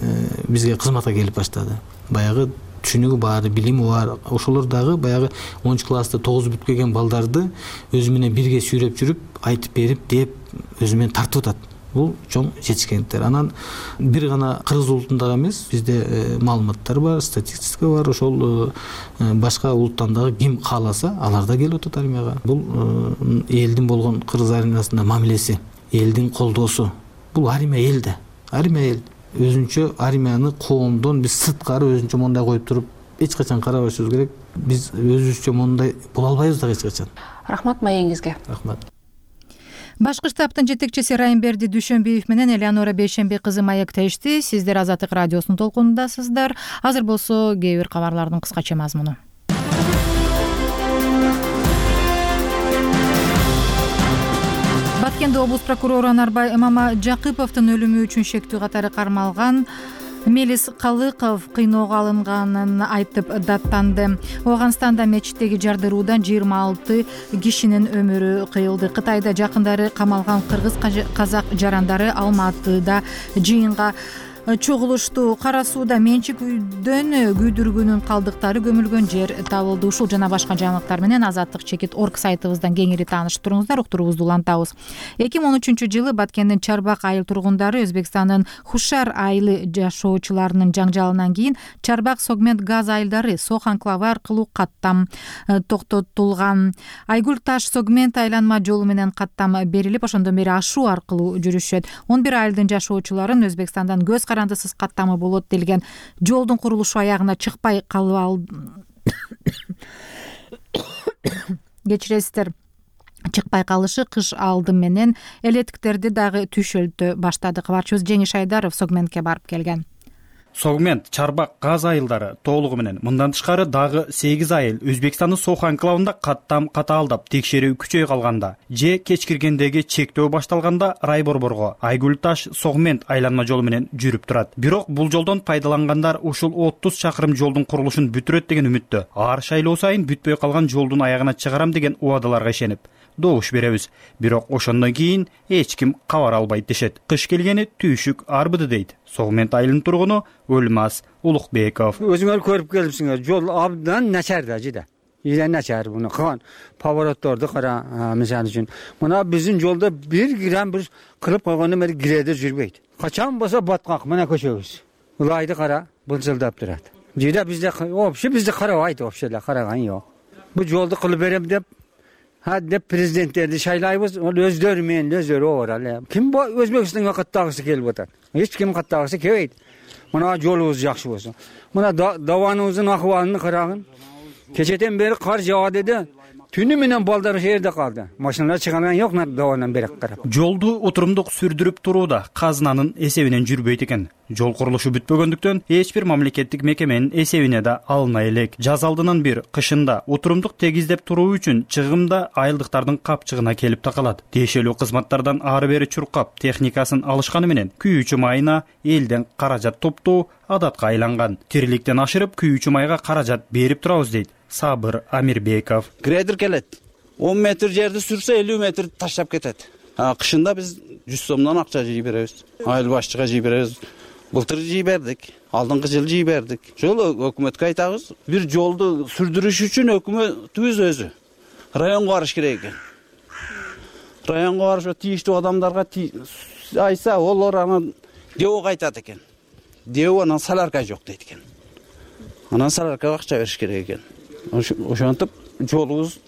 бизге кызматка келип баштады. Баягы түшүнүгү бар, билими бар. Ошолор дагы баягы 10-класста 9 бүт келген балдарды өзү менен бирге сүйрөп жүрүп, айтып берип, деп өзү менен тартып атат. Бул чоң жетишкендиктер. Анан бир гана кыргыз улутунда эмес, бизде маалыматтар бар, статистика бар. Ошол башка улуттан дагы ким кааласа, алар да келип атат армияга. Бул элдин болгон кыргыз армиясында мамилеси, элдин колдоосу. Бул армия элде. Армия эл. Өзүнчө армияны коомдон биз сырткары өзүнчө мондай коюп туруп, эч качан карабашыбыз керек. Биз өзүбүзчө мондай боло албайбыз да эч качан. Рахмат маегиңизге. Рахмат. Башкы штабтын жетекчиси Райымберди Дүйшөнбиев менен Элеонора Бейшембек кызы маектешти. Сиздер Азаттык радиосунун толкунундасыздар. Азыр болсо кээ бир кабарлардын кыскача мазмуну. Баткенде облус прокурору Анарбай Мамажакыповдун өлүмү үчүн шектүү катары кармалган Мелис Калыков кыйноого алынганын айтып даттанды. Ооганстанда мечиттеги жардыруудан 26 кишинин өмүрү кыйылды. Кытайда жакындары камалган кыргыз казак жарандары Алматыда жыйынга чогулушту. Кара сууда менчик үйдөн күйдүргүнүн калдыктары көмүлгөн жер табылды. Ушул жана башка жаңылыктар менен Азаттык чекит орг сайтыбыздан кеңири таанышып туруңуздар, уктуруубузду улантабыз. 2013-жылы Баткендин Чарбак айыл тургундары Өзбекстандын Хушар айылы жашоочуларынын жаңжалынан кийин Чарбак Согмент газ айылдары Сох анклавы аркылуу каттам токтотулган. Айгүл Таш Согмент айланма жолу менен каттам берилип, ошондон бери ашуу аркылуу жүрүшөт. 11 айылдын жашоочуларын Өзбекстандан көз карандысыз каттамы болот делген жолдун курулушу аягына чыкпай калып кечиресиздер. Чыкпай калышы кыш алды менен электиктерди дагы түшөлтө баштады. Кабарчыбыз Жеңиш Айдаров Согментке барып келген. Согмент, Чарбак газ айылдары толугу менен мындан тышкары дагы 8 айыл Өзбекстандын Сох анклавында каттам катаалдап текшерүү күчөй калганда же кеч киргендеги чектөө башталганда райборборго Айгүл Таш Согмент айланма жолу менен жүрүп турат. Бирок бул жолдон пайдалангандар ушул 30 чакырым жолдун курулушун бүтүрөт деген үмүттө. Ар шайлоо сайын бүтпөй калган жолдун аягына чыгарам деген убадаларга ишенип добуш беребиз. Бирок ошондон кийин эч ким кабар албайт дешет. Кыш келгени түйшүк арбыды дейт Согмент айылынын тургуну Өлмас Улукбеков. Өзүңөр көрүп келипсиңер, жол абдан начар да жиде. Жиде начар буну кылган поворотторду кара, мисалы үчүн. Мына биздин жолдо 1 грамм бир кылып койгондон бери гиредер жүрбөйт. Качан болсо баткак мына көчөбүз. Улайды кара, былчылдап турат. Жиде бизде вообще бизди карабайт, вообще эле караган жок. Бу жолду кылып берем деп деп президенттерди шайлайбыз, ол өздөрү менен өздөрү оор. Ким Өзбекстанга каттагысы келип атат? Эч ким каттагысы келбейт. Мына жолубуз жакшы болсо. Мына даваныбыздын акыбалын карагын. Кечеден бери кар жаады деди. Түнү менен балдар жерде калды. Машиналар чыган жок давандан бери карап. Жолду отурумдук сүрдүрүп турууда казынанын эсебинен жүрбөйт экен. Жол курулушу бүтпөгөндүктөн эч бир мамлекеттик мекеменин эсебине да алына элек. Жаз алдынан бир кышында отурумдук тегиздеп туруу үчүн чыгым да айылдыктардын капчыгына келип такалат. Тиешелүү кызматтардан ары бери чуркап техникасын алышканы менен күйүүчү майына элден каражат топтоо адатка айланган. Тириликтен ашырып күйүүчү майга каражат берип турабыз дейт Сабыр Амирбеков. Грейдер келет. 10 метр жерди сүрсө 50 метр таштап кетет. Кышында биз 100 сомдон акча жый беребиз. Айыл башчыга жый беребиз. Былтыр жый бердик, алдыңкы жыл жый бердик. Жол өкмөткө айтабыз, бир жолду сүрдүрүш үчүн өкмөтүбүз өзү районго барыш керек экен. Районго барып тийиштүү адамдарга айтса, олар анан ДЭОго айтат экен. ДЭО анан солярка жок дейт экен. Анан соляркага акча бериш керек экен. Ошентип жолубуз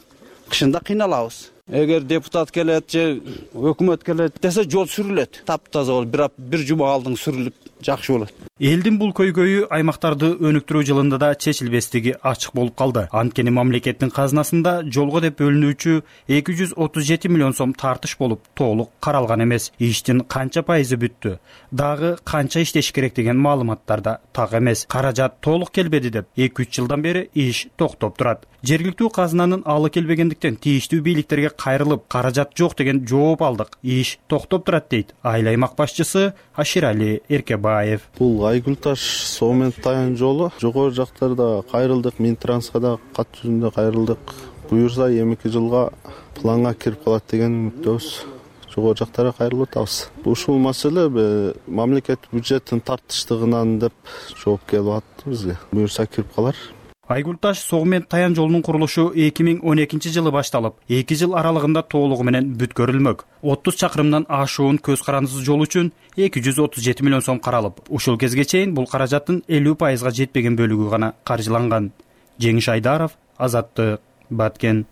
кышында кыйналабыз. Эгер депутат келет же өкмөт келет десе жол сүрүлөт. Таптаза болуп, бир жума алдың сүрүлүп жакшы болот. Элдин бул көйгөйү аймактарды өнүктүрүү жылында да чечилбестиги ачык болуп калды. Анткени мамлекеттин казынасында жолго деп бөлүнүүчү 237 миллион сом тартыш болуп, толук каралган эмес. Иштин канча пайызы бүттү, дагы канча иштеш керек деген маалыматтар да так эмес. Каражат толук келбеди деп 2-3 жылдан бери иш токтоп турат. Жергиликтүү казынанын алы келбегендиктен тийиштүү бийликтерге кайрылып, каражат жок деген жооп алдык. Иш токтоп турат дейт айыл аймак башчысы Аширали Эркебаев. Бул Айгүл таш Соо Таян жолу жогору жактарда кайрылдык, Минтранска да кат жүзүндө кайрылдык. Буюрса 2 жылга планга кирип калат деген үмүттөбүз. Жогору жактарга кайрылып атабыз. Ушул маселе мамлекет бюджеттин тартыштыгынан деп жооп келип атты бизге. Буюрса кирип калар. Айгүлташ Соо Таян жолунун курулушу 2012 жылы башталып, 2 жыл аралыгында толугу менен бүткөрүлмөк. 30 чакырымдан ашуун көз карандысыз жол үчүн 237 миллион сом каралып, ушул кезге чейин бул каражаттын 50%га жетпеген бөлүгү гана каржыланган. Жеңиш Айдаров, Азаттык, Баткен.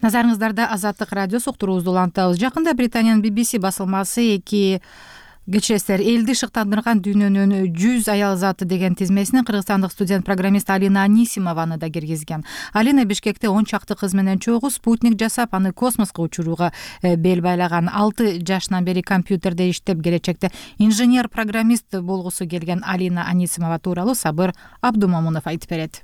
Назарыңыздарда Азаттык радиосу уктуруубузду улантабыз. Жакында Британиянын BBC басылмасы кечиресиздер, элди шыктандырган дүйнөнүн 100 аял заты деген тизмесине кыргызстандык студент-программист Алина Анисимованы да киргизген. Алина Бишкекте 10 чакты кыз менен чогуу спутник жасап, аны космоско учурууга бел байлаган. 6 жашынан бери компьютерде иштеп, келечекте инженер-программист болгусу келген Алина Анисимова тууралуу Сабыр Абдумомунов айтып берет.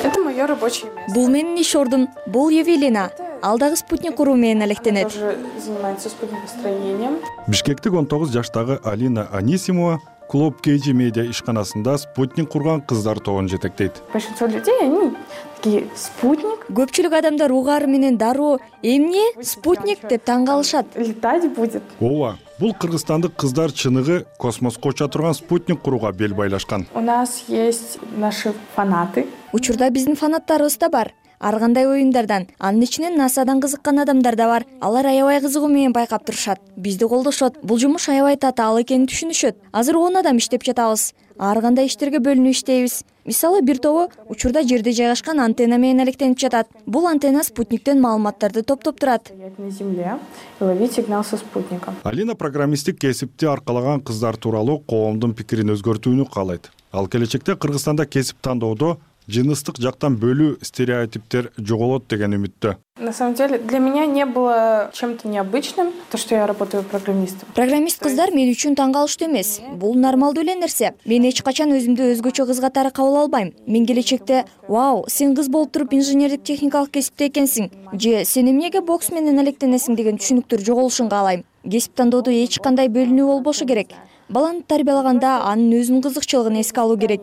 Это мое рабочее место. Бул менин иш ордум. Бул Евелина. Ал дагы спутник куруу менен алектенет. Тоже занимается спутникостроением. Бишкектик 19 жаштагы Алина Анисимова Клуб KG медиа ишканасында спутник курган кыздар тобун жетектейт. Большинство людей, они такие: спутник. Көпчүлүк адамдар угары менен дароо эмне спутник деп таң калышат. Летать будет. Ооба, бул кыргызстандык кыздар чыныгы космоско уча турган спутник курууга бел байлашкан. У нас есть наши фанаты. Учурда биздин фанаттарыбыз да бар. Ар кандай оюндардан, анын ичинен НАСАдан кызыккан адамдар да бар. Алар аябай кызыгуу менен байкап турушат. Бизди колдошот. Бул жумуш аябай татаал экенин түшүнүшөт. Азыр 10 адам иштеп жатабыз. Ар кандай иштерге бөлүнүп иштейбиз. Мисалы, бир тобу учурда жерде жайгашкан антенна менен алектенип жатат. Бул антенна спутниктен маалыматтарды топтоп турат. На земле и ловить сигнал со спутника. Алина программисттик кесипти аркалаган кыздар тууралуу коомдун пикирин өзгөртүүнү каалайт. Ал келечекте Кыргызстанда кесип тандоодо жыныстык жактан бөлүү стереотиптер жоголот деген үмүттө. На самом деле, для меня не было чем-то необычным то, что я работаю программистом. Программист кыздар мен үчүн таң калыштуу эмес. Бул нормалдуу эле нерсе. Мен эч качан өзүмдү өзгөчө кыз катары кабыл албайм. Мен келечекте: "Вау, сен кыз болуп туруп инженердик техникалык кесипте экенсиң" же "Сен эмнеге бокс менен алектенесиң" деген түшүнүктөр жоголушун каалайм. Кесип тандоодо эч кандай бөлүнүү болбошу керек. Баланы тарбиялаганда анын өзүнүн кызыкчылыгын эске алуу керек.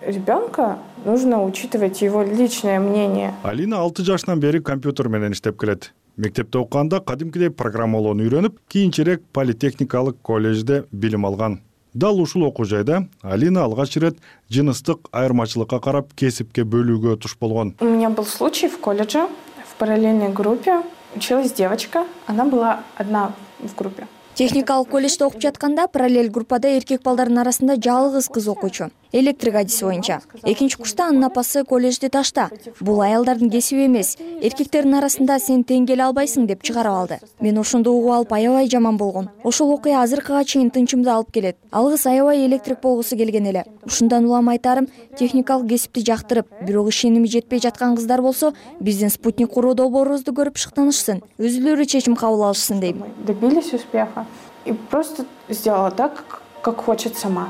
Ребенка нужно учитывать его личное мнение. Алина 6 жашынан бери компьютер менен иштеп келет. Мектепте окуганда кадимкидей программалоону үйрөнүп, кийинчерээк политехникалык колледжде билим алган. Дал ушул окуу жайда Алина алгач ирет жыныстык айырмачылыкка карап кесипке бөлүүгө туш болгон. У меня был случай в колледже, в параллельной группе училась девочка, она была одна в группе. Техникалык колледжде окуп жатканда параллель группада эркек балдардын арасында жалгыз кыз окуучу. Электрик адиси боюнча. Экинчи курста анын апасы колледжди ташта. Бул аялдардын кесиби эмес. Эркектердин арасында сен тең келе албайсың деп чыгарып алды. Мен ошондо угуп алып аябай жаман болгон. Ошол окуя азыркыга чейин тынчымды алып келет. Ал кыз аябай электрик болгусу келген эле. Ушундан улам айтарым, техникалык кесипти жактырып, бирок ишеними жетпей жаткан кыздар болсо, биздин спутник куруу долбоорубузду көрүп шыктанышсын, өзүлөрү чечим кабыл алышсын дейм. Добились успеха. И просто сделала так, как хочет сама.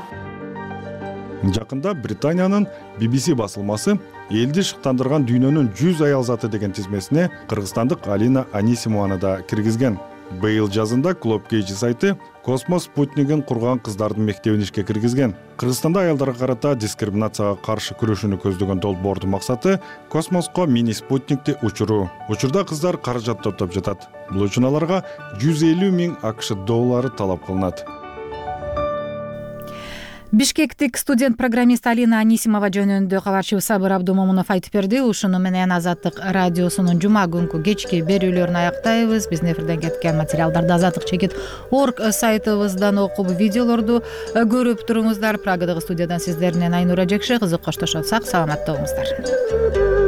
Жакында Британиянын BBC басылмасы элди шыктандырган дүйнөнүн 100 аял заты деген тизмесине кыргызстандык Алина Анисимованы да киргизген. Быйыл жазында Club Cage сайты космос спутнигин курган кыздардын мектебин ишке киргизген. Кыргызстанда аялдарга карата дискриминацияга каршы күрөшүүнү көздөгөн долбоордун максаты космоско мини спутникти учуруу. Учурда кыздар каражат топтоп жатат. Бул үчүн аларга 150 000 АКШ доллары талап кылынат. Бишкектик студент программист Алина Анисимова жөнүндө кабарчыбыз Сабыр Абдумомунов айтып берди. Ушуну менен Азаттык радиосунун жума күнкү кечки берүүлөрүн аяктайбыз. Биздин эфирден кеткен материалдарды azatlik.org сайтыбыздан окуп, видеолорду көрүп туруңуздар. Прагадагы студиядан сиздер менен Айнура Жекше кызык коштошот. Сак саламатта болуңуздар.